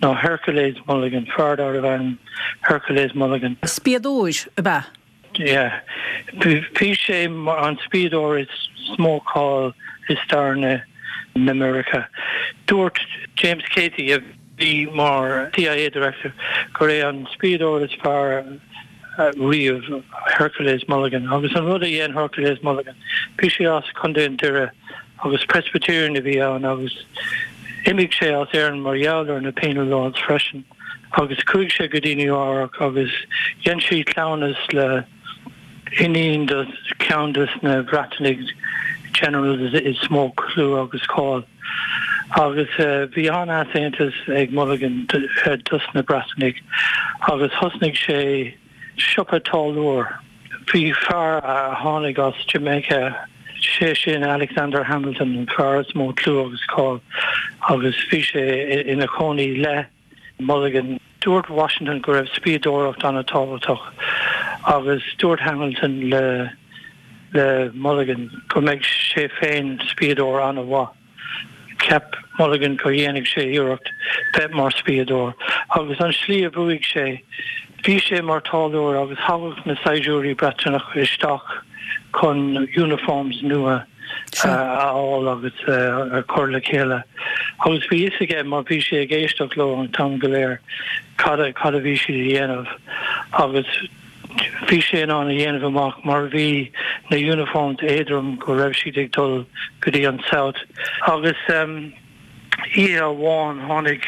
ná Hercules Mulligan, fear darbh ainm Hercules Mulligan. Spiadóir ab ea? Yeah. Bhí sé mar an spiadóir is mó cáil i stair na Meiriceá. Dúirt James Cayce, a bhí mar CIA Director, gur é an spiadóir is fearr riamh Hercules Mulligan. Agus an rud a dhein Hercules Mulligan, bhí sé as Contae an Doire agus Presbyterian a bhí ann agus d'imigh sé as Éirinn mar gheall ar na penal laws freisin. agus chuaigh sé go dtí Nua Eabhrac agus dhein sé cleamhnas le iníon de cheann des na Breatanaigh generals is mó clú agus cáil. Agus bhí an-easaontas ag Mulligan dos na Breatanaigh agus thosnaigh sé siopa táilliúir. Bhí fear a tháinig as Jamaica, sé sin Alexander Hamilton, an fear is mó clú agus cáil agus bhí sé ina chónaí le Mulligan. Dúirt Washington go raibh spiadóireacht an-tábhachtach agus dúirt Hamilton le le Mulligan go mbeidh sé féin spiadóir an-mhaith. Cheap Mulligan go dhéanfadh sé iarracht bheith mar spiadóir agus an slí a bhuaigh sé, bhí sé mar táilliúir agus thagadh na saighdiúirí Breatanacha isteach chun uniforms nua a fháil agus a chur le chéile agus bhí fhios aige mar bhí sé ag éisteacht leo an t-am go léir cad a cad a bhí siad a dhéanamh agus. Bhí sé in ann a dhéanamh amach mar bhí na uniforms éadrom go raibh siad ag dul go dtí an South. Agus oíche amháin tháinig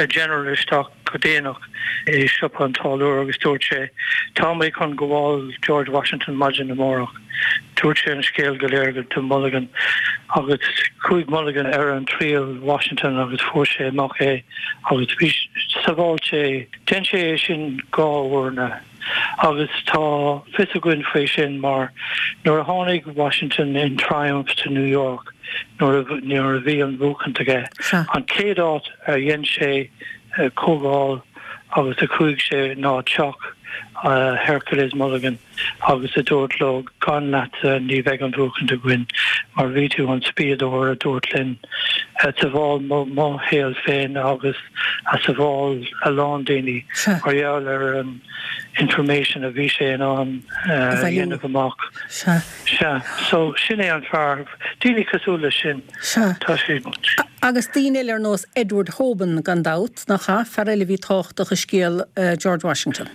General isteach go déanach i siopa an táilliúir agus dúirt sé, Tá mé chun gabháil George Washington maidin amárach. Dúirt sé an scéal go léir do Mulligan agus chuaigh Mulligan ar an triail Washington agus fuair sé amach é agus bhí sabháil sé Dhein sé é sin dá uair agus tá fios againn faoi sin mar nuair a tháinig Washington in triumph to New York nuair a nuair a bhí an bhuachaint aige an chéad áit a dhein sé comhdháil agus a chuaigh sé ná teach Hercules Mulligan. agus a dúirt leo, gan leatsa ní bheidh an bhuachaint againn, mar bhí tú an spiadóir a dúirt linn, a sabháil mo shaol féin agus a sabháil a lán daoine mar gheall ar an information a bhí sé in ann a dhéanamh amach. Sea. So, sin é an fear. Daoine cosúil leis sin. Sea. Tá siad. Agus daoine eile ar nós Edward Hoban, gan dabht, nach ea? Fear eile a bhí tábhachtach i scéal George Washington.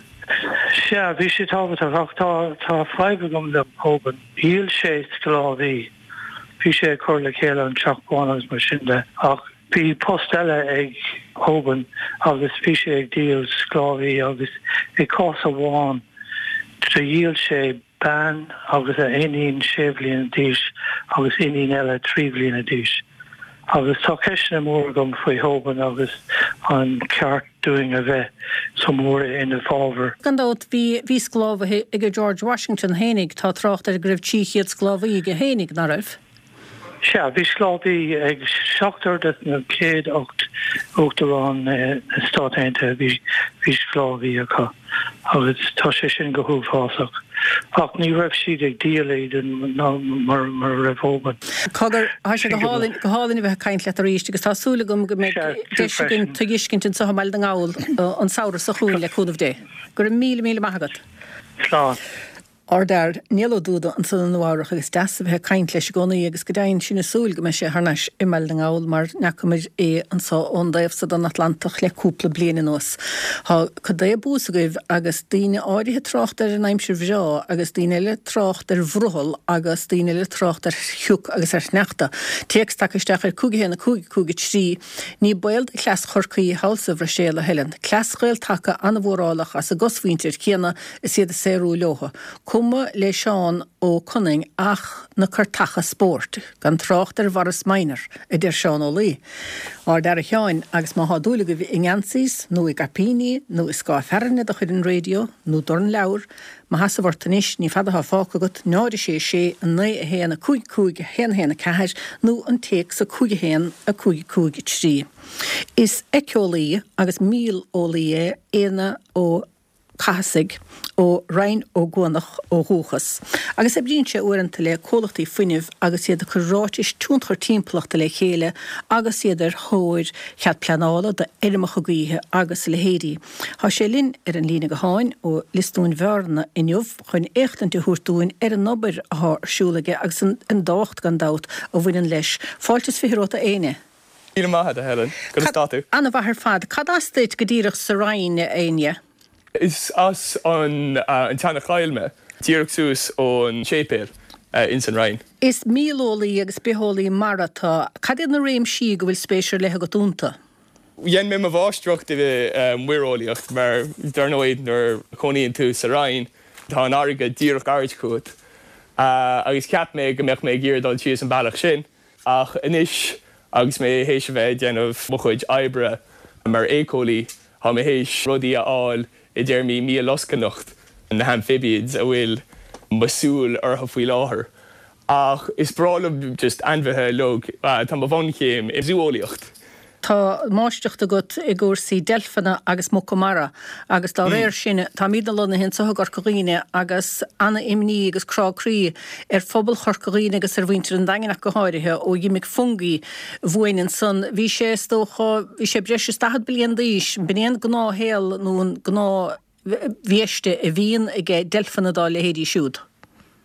Sea, bhí sé tábhachtach, ach tá, tá fadhb agam le Hoban. Dhíol sé sclábhaí. Bhí sé ag cur le chéile an Teach Bán agus mar sin de, ach bhí post eile ag Hoban agus bhí sé ag díol sclábhaí agus i gcás amháin do dhíol sé bean agus a iníon sé bhliana d'aois agus iníon eile 3 bhliana d'aois. Agus tá ceisteanna móra agam faoi Hoban agus an ceart dúinn a bheith chomh mór ina fábhar. Gan dabht, bhí, bhí sclábhaithe ag George Washington fhéinig, tá trácht air go raibh 300 sclábhaí aige fhéinig, ná raibh? Sea, bhí sclábhaí ag seachtar de na chéad 8 Uachtarán na Stát Aontaithe, bhí, bhí sclábhaí acu agus tá sé sin go huafásach. Ach ní raibh siad ag díol iad ná mar, mar a raibh Hoban. Cogar, tá sé go hálainn, go hálainn a bheith ag caint leat arís agus tá súil agam go mbeidh deis againn tú a fheiscint anseo i mBaile na nGall an samhradh seo chugainn le cúnamh Dé. Go raibh míle, míle maith agat. Slán. Ár bhfear, Niall Ó Dúda, ansan i Nua Eabhrach agus deas a bheith ag caint leis i gcónaí agus go deimhin sinn ag súil go mbeidh sé thar n-ais i mBaile na nGall mar n'fheacamair é anso ón dtaobh so den Atlantach le cúpla bliain anuas. Tá cad é bús agaibh agus daoine áirithe ag trácht ar an aimsir bhreá agus daoine eile ag trácht ar bhrothall agus daoine eile ag trácht ar shioc agus ar shneachta. Téacs tagtha isteach ar 5 1 5 5 3 Ní baol do chleas Chorcaí thall sa Bhruiséil a Helen. Cleas Ghael-Taca an-mhórálach as a gcosmhuintir chéanna is iad ag saothrú leothu. Cuma le Seán Ó Conaing ach na cairteacha spóirt, gan trácht ar Mhorris Minor, a deir Seán Ó Laoi. Ár bhfear a Sheáin, agus má thá dúil agaibh i ngeansaís, nó i gcaipíní, nó i scáth fearthainne de chuid an raidió, nó dorn leabhar, mo sheasamh ort anois, ní fada thá fágtha agat, 0 6 6 9 1 5 5 1 1 4, nó an téacs 5 1 5 5 3. Is éiceolaí agus míoleolaí é Éanna Ó Cathasaigh, ó Rinn Ó gCuanach ó dhúchas, agus oibríonn sé uaireanta le comhlachtaí fuinnimh agus iad ag cur ráitis tionchar timpeallachta le chéile agus iad ar thóir chead pleanála do fheirmeacha gaoithe agus a leithéidí. Tá sé linn ar an líne gutháin ó Lios Dúin Bhearna inniu chun éachtaint a thabhairt dúinn ar an obair athá ar siúl aige agus an dtábhacht, gan dabht, a bhaineann leis. Fáilte is 20 romhat a Éanna. Míle maith agat, a Helen. Conas tá tú? An-mhaith ar fad. Cad as duit go díreach sa Rinn, a Éanna? Is as an tSeana Choill mé, díreach suas ón séipéal ins an Rinn. Is míoleolaí agus bitheolaí mara tú. Cad iad na réimsí go bhfuil spéis ar leith agat iontu? Dhein mé mo mháistreacht i muireolaíocht mar dar ndóigh nuair a chónaíonn tú sa Rinn tá an fharraige díreach gairid chugat agus cheap mé go mbeadh mé ag iarraidh dul síos an bealach sin. Ach anois agus mé théis a bheith ag déanamh mo chuid oibre mar éiceolaí, tá mé théis rudaí a fháil i dtéarmaí míollascaineacht, na hamphibians a bhfuil mo súil orthu faoi láthair. Ach is breá liom just ainmhithe uilig. Tá mo bhunchéim i zú-eolaíocht. Tá máistreacht agat i gcúrsaí deilfeanna agus muca mara agus dá réir sin táimidne lonnaithe anseo i gCorca Dhuibhne agus ana-imní agus crá croí ar phobal Chorca Dhuibhne agus ar mhuintir an Daingin ach go háirithe ó dh'imigh Fungie uainn ansan. Bhí sé, is dócha, bhí sé breis is 40 bliain d'aois. B'in é an gnáthshaol nó an gnáthbhiaiste a bhíonn aige deilfeanna dá leithéidí siúd.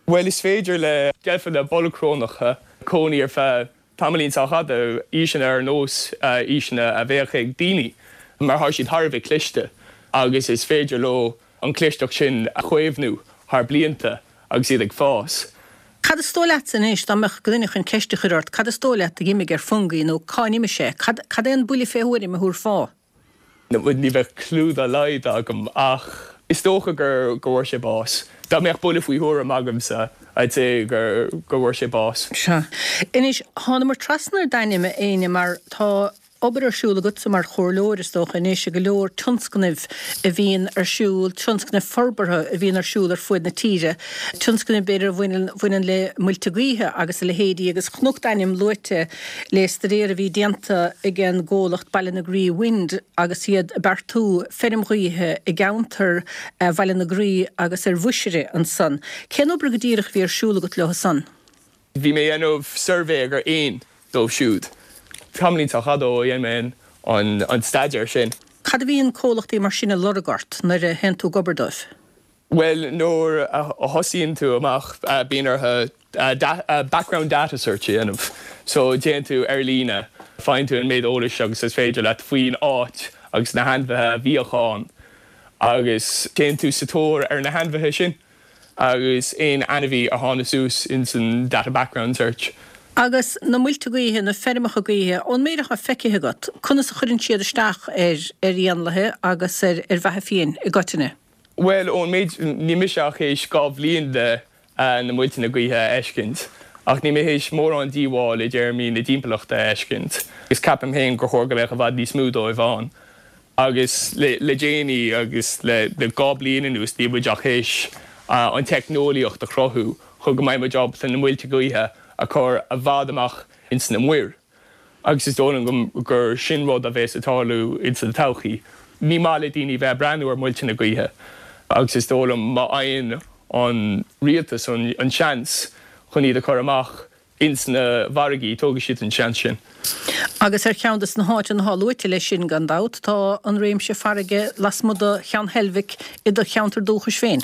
Bhuel, is féidir le deilfeanna bolgshrónacha cónaí ar feadh tamaillín sách fhada, aoiseanna ar nós aoiseanna a bheadh ag daoine, mar tá siad thar a bheith cliste agus is féidir leo an chlisteacht sin a chaomhnú. thar blianta agus iad ag fás. Cad is dóigh leatsa anois, dá mbeadh duine chun ceist a chur ort, cad is dóigh leat a dh'imigh ar Fungie nó cá n-imigh sé? Cad, cad é an buille fé thuairim a thabharfá? Ní bheadh clue dá laghad agam ach is dócha gur, go bhfuair sé bás. Dá mbeadh buille faoi thuairim agamsa, I'd say gur, go bhfuair sé bás. Sea. Anois, thánamar trasna ar d'ainm, a Éinne, mar tá obair ar siúl agatsa mar chomhairleoir, is dócha, anois i go leor tionscnaimh a bhíonn ar siúl, tionscnaimh forbartha a bhíonn ar siúl ar fuaid na tíre, tionscnaimh b'fhéidir a bhaineann, bhaineann le muilte gaoithe agus a leithéidí agus chonac d'ainm luaite le staidéar a bhí déanta ag an gcomhlacht Ballinagree Wind agus iad ag beartú feirm ghaoithe i gceantar Bhaile na Graí agus ar Mhuisire ansan. Cén obair go díreach a bhí ar siúl agat leo san? Bhí mé ag déanamh suirbhé ar éin dóibh siúd. Tamaillín sách fada ó a dhein mé an staidéar sin. Cad a bhíonn comhlachtaí mar sin ag lorg ort nuair a théann tú ag obair dóibh? Bhuel, nuair a thosaíonn tú amach, bíonn orthu background data search a dhéanamh. So, téann tú ar líne, faigheann tú an méid eolais agus is féidir leat faoin áit agus na hainmhithe a bhíodh ann agus téann tú sa tóir ar na hainmhithe sin. agus aon ainmhí a tháinig suas ins an data background search. Agus na muilte gaoithe, na feirmeacha gaoithe, ón méid atá feicthe agat, conas a chuireann siad isteach ar ar éanlaithe agus ar ar bheatha fiáin i gcoitinne? Bhuel, ón méid, níl mise ach théis 2 bhliain de na muilteanna gaoithe a fheiscint, ach níl mé théis mórán díobháil i dtéarmaí na dtimpeallachta a fheiscint, agus ceapaim féin gur chóir go mbeadh i bhfad níos mó dóibh ann. Agus le déanaí, agus le 2 bliain anuas, níl muid ach théis an teicneolaíocht a chruthú chun go mbeidh muid ábalta na muilte gaoithe a chur i bhfad amach ins na muir. Agus is dóigh liom gur sin rud a bheas ag tarlú ins an todhchaí. Ní maith le daoine bheith ag breathnú ar muilteanna gaoithe agus is dóigh liom má fhaigheann an rialtas an seans chun iad a chur amach ins na bhfarraigí, tógfaidh siad an seans sin. Agus ar cheann de na háiteanna atá luaite leis sin, gan dabht, tá an réimse farraige lasmuigh de Cheann Heilbhic i do cheantar dúchais féin.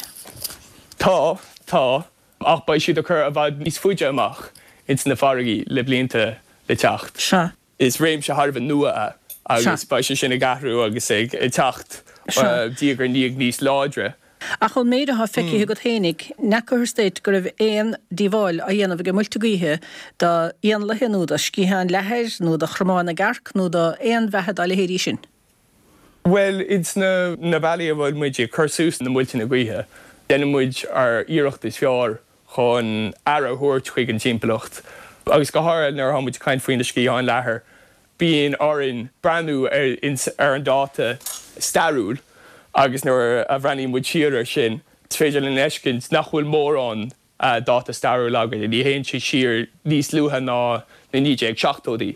Tá, tá, ach beidh siad á cur i bhfad níos faide amach ins na farraigí le blianta le teacht. Sea. Is réimse thar a bheith nua é agus beidh sé sin ag athrú agus ag teacht diaidh ar ndiaidh níos láidre. Ach ón méid atá feicthe agat fhéinig, n'fheacathas duit go raibh aon díobháil á dhéanamh ag muilte gaoithe do éanlaithe nó do sciatháin leathair nó do chromáin na gcearc nó do aon bheatha dá leithéidí sin? Bhuel, ins na bealaí a bhfuil muid ag cur suas na muilteanna gaoithe, déanann muid ár iarracht is fearr chun aire a thabhairt chuig an timpeallacht agus go háirithe nuair atá muid ag caint faoi na sciatháin leathair, bíonn orainn breathnú ar an dáta stairiúil agus nuair a bhreathnaíonn muid siar air sin, is féidir linn a fheiscint nach bhfuil mórán dáta stairiúil againn, ní théann sé siar níos luaithe ná na 1970idí.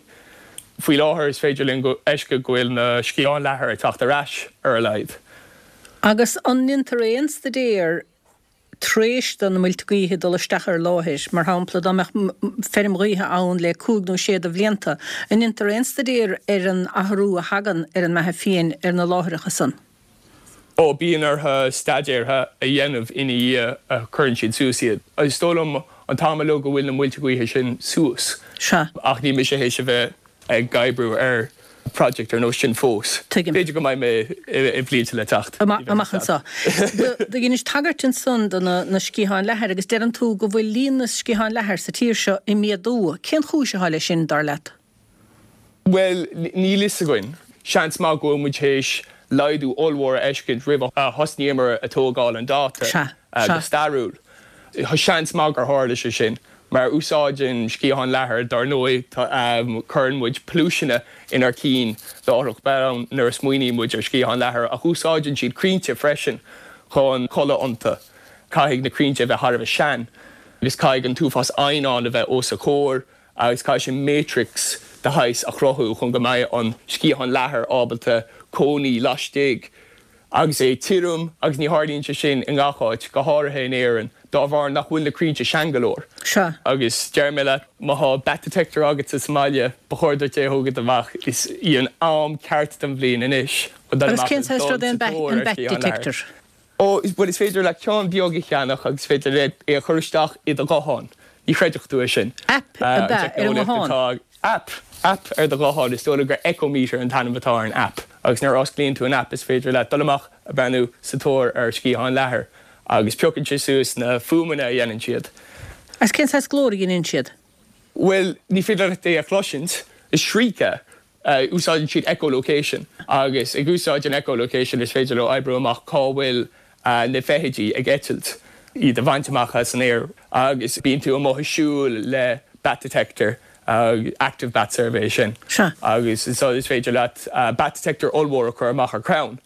Faoi láthair is féidir linn a fheiscint go bhfuil na sciatháin leathair ag teacht ar ais ar a laghad. Agus an ndéantar aon staidéar tar éis do na muilte gaoithe dul isteach ar láthair, mar shampla, dá mbeadh feirm ghaoithe ann le cúig nó sé de bhlianta, an ndéantar aon staidéar ar an athrú a thagann ar an mbeatha fiáin ar na láithreacha san? Ó, bíonn orthu staidéar a dhéanamh ina dhiaidh a chuireann siad suas iad. Is dóigh liom an t-am uilig go bhfuil na muilte gaoithe sin suas. Sea. Ach níl mise théis a bheith ag oibriú ar project ar nós sin fós. Tuigim. B'fhéidir go mbeidh mé i blianta le teacht. Amach anseo. Do dheinis tagairt ansan do na sciatháin leathair agus deireann tú go bhfuil líon na sciathán leathair sa tír seo ag méadú. Cén chúis atá leis sin, dar leat? Bhuel, níl fhios againn. Seans maith go bhfuil muid théis laghdú ollmhór a fheiscint roimh a thosnaíomar ag tógáil an dáta go stairiúil. Seans maith gur tharla sé sin. Mar úsáideann sciatháin leathair, dár ndóigh, cuireann muid pluaiseanna inár cinn láithreach bonn nuair a smaoiníonn muid ar sciatháin leathair, ach úsáideann siad crainnte freisin chun codladh iontu. Caithfidh na crainnte a bheith thar a bheith sean, agus caithfidh an t-uafás eidhneán a bheith os a chomhair, agus caithfidh sé matrix de shaghas a chruthú chun go mbeidh an sciathán leathair ábalta cónaí laistigh. Agus é tirim, agus ní tharlaíonn sé sin i ngach áit, go háirithe in Éirinn, dá bharr nach bhfuil na crainnte sean go leor. Sea. Agus deir mé leat, má thá bat detector agatsa sa mbaile, ba chóir duit é a thógaint amach. Is í an am ceart den bhliain anois chun dul amach agus dul sa tóir ar sciathán leathair. Ó, bhuel, is féidir leat ceann beag a cheannach agus is féidir leat é a chur isteach i do ghuthán. Ní chreidfeadh tú é sin. Aip ab ea ar an nguthán? Aip, aip ar do ghuthán. Is dóigh liom gur Echo-Meter an t-ainm atá ar an aip. Agus nuair a osclaíonn tú an aip is féidir leat dul amach a breathnú sa tóir ar sciatháin leathair. agus piocann sé suas na fuaimeanna a dhéanann siad. Agus cén saghas glór a dheineann siad? Bhuel, ní féidir leat é a chloisint. Is shriek é. Úsáideann siad echolocation agus ag úsáid an echolocation is féidir leo oibriú amach cá bhfuil na feithidí ag eitilt, iad a bhaint amach as an aer agus bíonn tú amuigh ag siúl le bat detector, active bat survey sin, agus is féidir leat bat detector ollmhór a chur amach ar chrann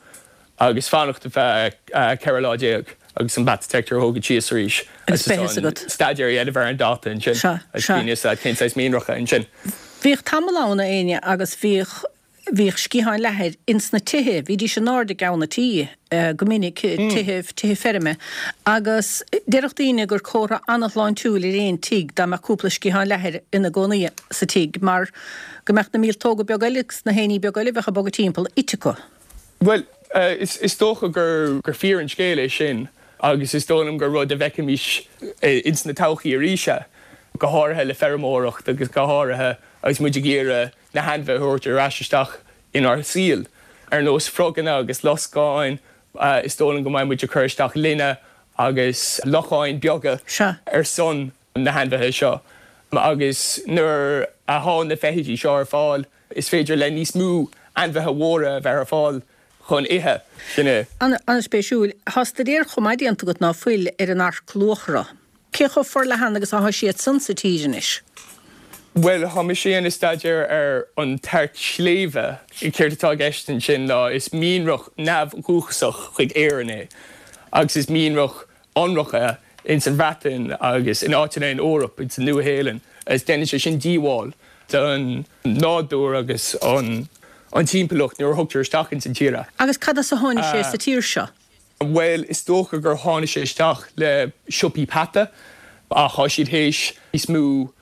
agus fanacht ar feadh 14 lá agus an bat detector a thógaint síos arís Agus beidh fhios agat. staidéar a dhéanamh ar an data ansin Sea, agus sea. bíonn fhios agat cén saghas mianracha ansin. Bhíodh tamall ann, a Éinne, agus bhíodh, bhíodh sciatháin leathair ins na tithe, bhídís in airde i gceann an tí go minic, tithe, tithe feirme, agus déarfadh daoine gur comhartha an-shláintiúil ar aon tigh dá mbeadh cúpla sciathán leathair ina gcónaí sa tigh mar go mbeadh na míoltóga beaga eile agus na héiní beaga eile a bheadh ag bogadh timpeall ite acu. Bhuel, is dócha gur fíor an scéal é sin agus is dóigh liom gur rud a bhfeicfimis ins na todhchaí arís é, go háirithe le feirmeoireacht agus go háirithe agus muid ag iarraidh na hainmhithe a thabhairt ar ais isteach inár saol, ar nós froganna agus loscáin. Is dóigh liom go mbeidh muid ag cur isteach linne agus locháin beaga ar son na hainmhithe seo agus nuair atá na feithidí seo ar fáil, Is féidir le níos mó ainmhithe mhóra a bheith ar fáil chun ithe. Sin é. An-spéisiúil. Tá staidéar chomh maith déanta agat, ná fuil, ar an earc luachra. Cé chomh forleathan agus atá siad san sa tír anois? Bhuel, tá mise ag déanamh staidéar ar an t-earc sléibhe. Céard atá i gceist ansin ná is mianrach neamhdhúchasach chuig Éirinn é agus is mianrach ionrach é ins an Bhreatain agus in áiteanna in Eoraip, ins an Nua-Shéalainn, agus déanann sé sin díobháil don nádúr agus an timpeallacht nuair a thugtar isteach ins an tír é. Agus cad as a tháinig sé sa tír seo? Bhuel, is dócha gur tháinig sé isteach le siopaí peata ach tá siad théis níos mó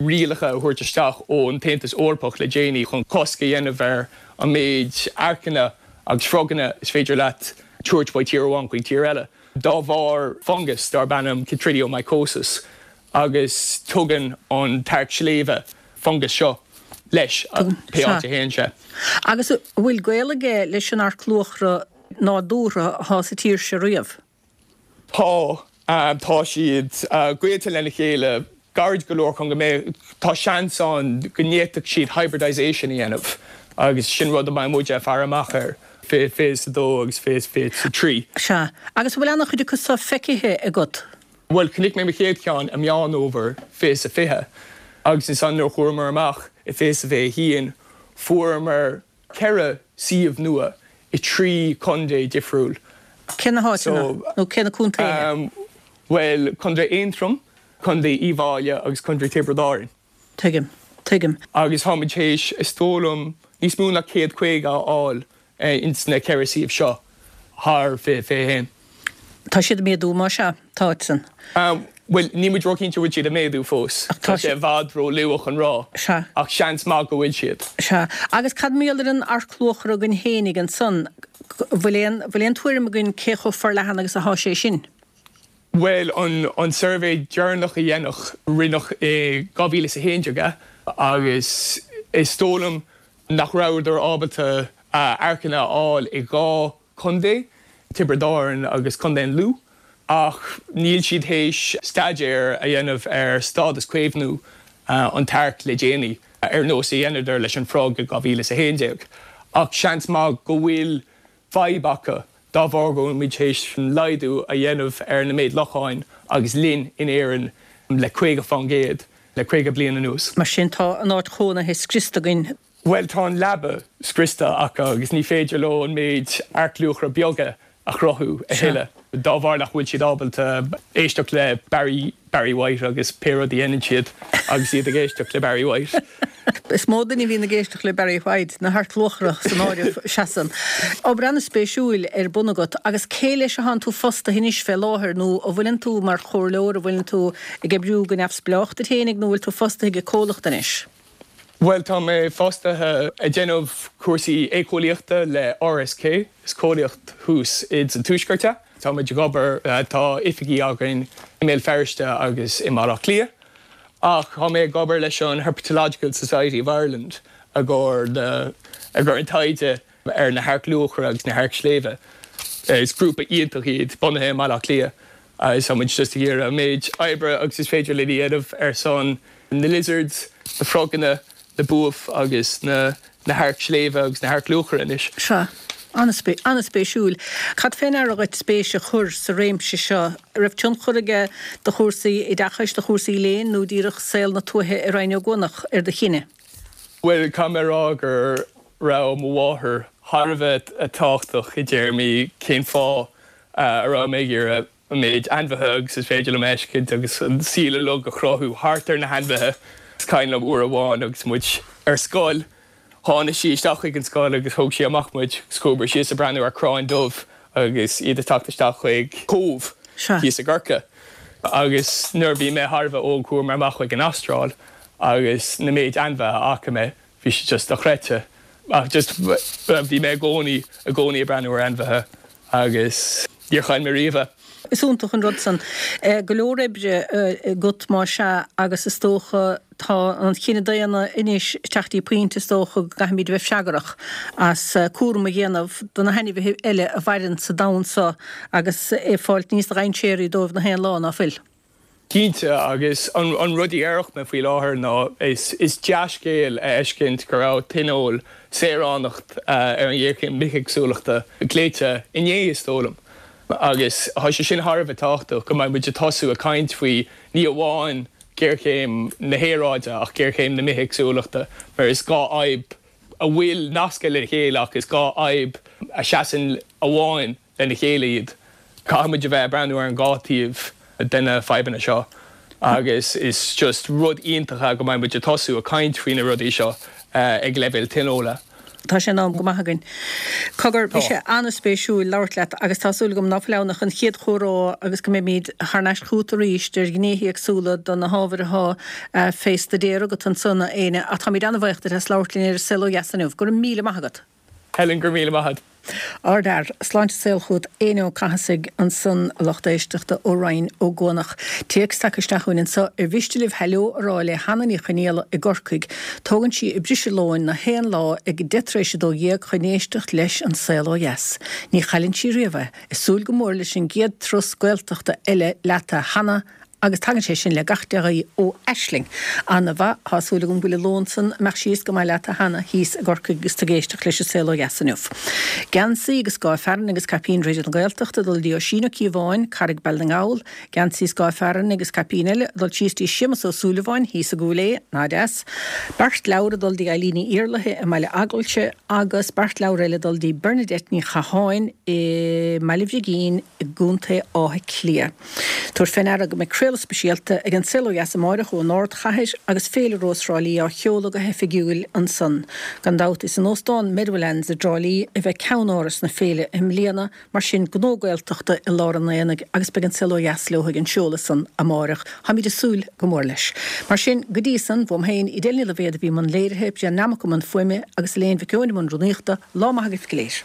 rialacha a thabhairt isteach ón tAontas Eorpach le déanaí chun cosc a dhéanamh ar an méid earcanna agus froganna is féidir leat tabhairt ó tír amháin chuig tír eile dá bharr fungas darb ainm chytridiomycosis agus tugann an t-earc sléibhe fungas seo leis pé áit a théann sé. Agus an bhfuil gaol aige leis an earc luachra nádúrtha atá sa tír seo riamh? Tá. Tá siad gaolta lena chéile gairid go leor chun go mbeidh, tá seans ann go bhféadfadh siad hybridization a dhéanamh agus sin rud a mbeidh muid ag faire amach air 2022 agus 2023. Sea. Agus an bhfuil an-chuid acu seo feicthe agat? Bhuel, chonaic mé mo chéad cheann i Meán Fhómhair 2020 agus ansan nuair a chuamar amach i 2021 fuaireamar 4 suíomh nua i 3 contae difriúil. Cé na háiteanna? Nó cé na contaetha? Bhuel, Contae Aontroim, Contae Uíbh Fhailí agus Contae Tiobraid Árann. Tuigim. Tuigim. Agus táimid théis, is dóigh liom, níos mó ná 150 a fháil ins na 4 suíomh seo thar 2021. Tá siad ag méadú, más ea, táid san. Bhuel, níl muid róchinnte an bhfuil siad ag méadú fós. Tá sé i bhfad ró-luath chun rá. Sea. Ach seans maith go bhfuil siad. Sea. Agus cad mar gheall ar an earc luachra againn fhéinig ansan? Bhfuil aon, bhfuil aon tuairim againn cé chomh forleathan agus athá sé sin? Bhuel, an, an suirbhé deireanach a deineadh, rinneadh i 2011 é agus is dóigh liom nach rabhadar ábalta earcanna a fháil i 2 contae, Tiobraid Árann agus Contae an Lú, ach níl siad théis staidéar a dhéanamh ar stádas caomhnú an t-earc le déanaí, ar nós a dheineadar leis an frog i 2011. Ach seans maith go bhfuil fadhb acu dá bharr go bhfuil muid théis laghdú a dhéanamh ar na méid locháin agus linn in Éirinn le 50% le 50 bliain anuas. Mar sin tá a n-áit chónaithe scriosta againn. Bhuel, tá an leaba scriosta acu agus ní féidir leo an méid earc luachra beaga a chruthú a thuilleadh dá bharr nach bhfuil siad ábalta éisteacht le Barry Barry White agus pé rud a dhéanann siad agus iad ag éisteacht le Barry White. Is mó duine a bhíonn ag éisteacht le Barry White, na hearc luachra san áireamh, seasann. Obair an-spéisiúil ar bun agat agus cé leis atánn tú fostaithe anois fé láthair nó an bhfuileann tú mar chomhairleoir, an bhfuileann tú ag oibriú go neamhspleách duit fhéinig nó an bhfuil tú fostaithe ag comhlacht anois? Bhuel, tá mé fostaithe ag déanamh cúrsaí éiceolaíochta le RSK, is comhlacht thuas ins an Tuaisceart é. Tá muid ag obair, tá oifigí againn i mBéal Feirste agus i mBaile Átha Cliath. Ach tá mé ag obair leis an Herpetological Society of Ireland i gcomhair na, i gcomhair an taighde ar na hearc luachra agus na hearc sléibhe. Is grúpa iontach iad, bunaithe i mBaile Átha Cliath agus tá muid just ag iarraidh an méid oibre agus is féidir linn a dhéanamh ar son na lizards, na froganna, na buaibh agus na hearc sléibhe agus na hearc luachra anois. Sea. An-spéisiúil. Cad fé ndeara dhuit spéis a chur sa réimse seo? Raibh tionchar aige do chúrsaí oideachais, do chúrsaí léinn nó díreach saol na tuaithe i Rinn Ó gCuanach ar do chinneadh? Bhuel, caithfidh mé a rá go raibh mo mháthair thar a bheith tábhachtach i dtéarmaí cén fáth a raibh mé ag iarraidh an méid ainmhithe agus is féidir liom a fheiscint agus an saol uilig a chruthú thart ar na hainmhithe. Is cuimhin liom uair amháin agus muid ar scoil, tháinig sí isteach chuig an scoil agus thóg sí amach muid agus chuamar síos ag breathnú ar crainn dubh agus iad ag teacht isteach chuig cóbh thíos i gCorcaigh. Agus nuair a bhí mé thar a bheith óg chuamar amach chuig an Astráil agus na méid ainmhithe a fhaca mé, bhí sé just dochreidte. Ach just bhí mé i gcónaí, i gcónaí ag breathnú ar ainmhithe agus níor chaill mé riamh é. Is iontach an rud san. Go leor oibre agat más ea agus is dócha tá an chine daonna anois ag teacht dtí pointe is dócha go gcaithfimid a bheith freagrach as cúram a dhéanamh do na hainmhithe eile a mhaireann sa domhan seo agus ag fáilt níos dhainséaraí dóibh na haon lá, ná fuil? Cinnte, agus an rud a déarfadh mé faoi láthair ná is dea-scéal a fheiscint go raibh tionól saoránacht ar an ghéarchéim bithéagsúlachta glaoite inné, is dóigh liom. Agus tá sé sin thar a bheith tábhachtach, go mbeidh muid ag tosú ag caint faoi ní amháin géarchéim na haeráide ach géarchéim na bithéagsúlachta, mar is dhá fhadhb a bhfuil nasctha le chéile ach is dhá fhadhb a seasann amháin lena chéile iad. Caithfidh muid a bheith ag breathnú ar an dhá taobh de na fadhbanna seo agus is just rud iontach é go mbeidh muid ag tosú ag caint faoi na rudaí seo ag leibhéal tionóla. Tá sé in am go maith againn. Cogar, bhí sé an-spéisiúil labhairt leat agus tá súil agam ná fuil ann ach an chéad chomhrá agus go mbeimid thar n-ais chugat arís ar ghnéithe éagsúla de na hábhair atá fé staidéar agat ansan, a Éanna. Ach táimid an-bhaoch duit as labhairt linn ar An Saol Ó Dheas inniu. Go raibh míle maith agat. Helen, go raibh míle maith agat. Ardfhear. Sláinte is saol chugat Éanna Ó Cathasaigh ansan a lucht éisteachta ó Rinn Ó gCuanach. Téacs tagtha isteach chugainn anso ar mhiste libh heileo a rá le Hanna Ní Chonaola i gCorcaigh. Tógann sí a briseadh lóin na haon lá ag 12:10 chun éisteacht leis An Saol Ó Dheas. Ní chailleann sí riamh é. Ag súil go mór leis an gcéad turas Gaeltachta eile leat a Hanna Agus tagann sé sin le gach dea-ghuí ó Aisling. Ana-mhaith, tá súil agam go bhfuil an lón san ag imeacht síos go maith leat a Hanna thíos i gCorcaigh agus tú ag éisteacht leis an Saol Ó Dheas inniu. Geansaí agus scáth fearainn agus caipín Raidió na Gaeltachta ag dul dtí Oisín Ó Cíobháin, Carraig Baile na nGall, Geansaí scáth fearainn agus caipín eile ag dul síos dtí Séamus Ó Súilleabháin thíos i gCúil Aodha, ná deas. Beart leabhar ag dul dtí Eileen Ní Iarlaithe i mBaile Eaglaise agus beart leabhar eile ag dul dtí Bernadette Ní Chatháin i mBaile Bhrigín i gContae Átha Cliath. Tabhair fé ndeara go mbeidh craoladh speisialta ag An Saol Ó Dheas amáireach ón ardchathair agus Féile Rós Thrá Lí á sheoladh go hoifigiúil ansan. Gan dabht is in Óstán Meadowlands i dTrá Lí a bheidh ceann-áras na féile i mbliana, mar sin gnó Gaeltachta i lár an aonaigh agus beidh An Saol Ó Dheas leo ag an seoladh san amáireach. Táimid ag súil go mór leis. Mar sin, go dtí san, uaim féin, Edel Ní Loibhéad a bhí i mbun léirithe, Brian Nammock i mbun fuaime agus Elaine Mhic Eoin i mbun rúnaíochta, lá maith agaibh go léir.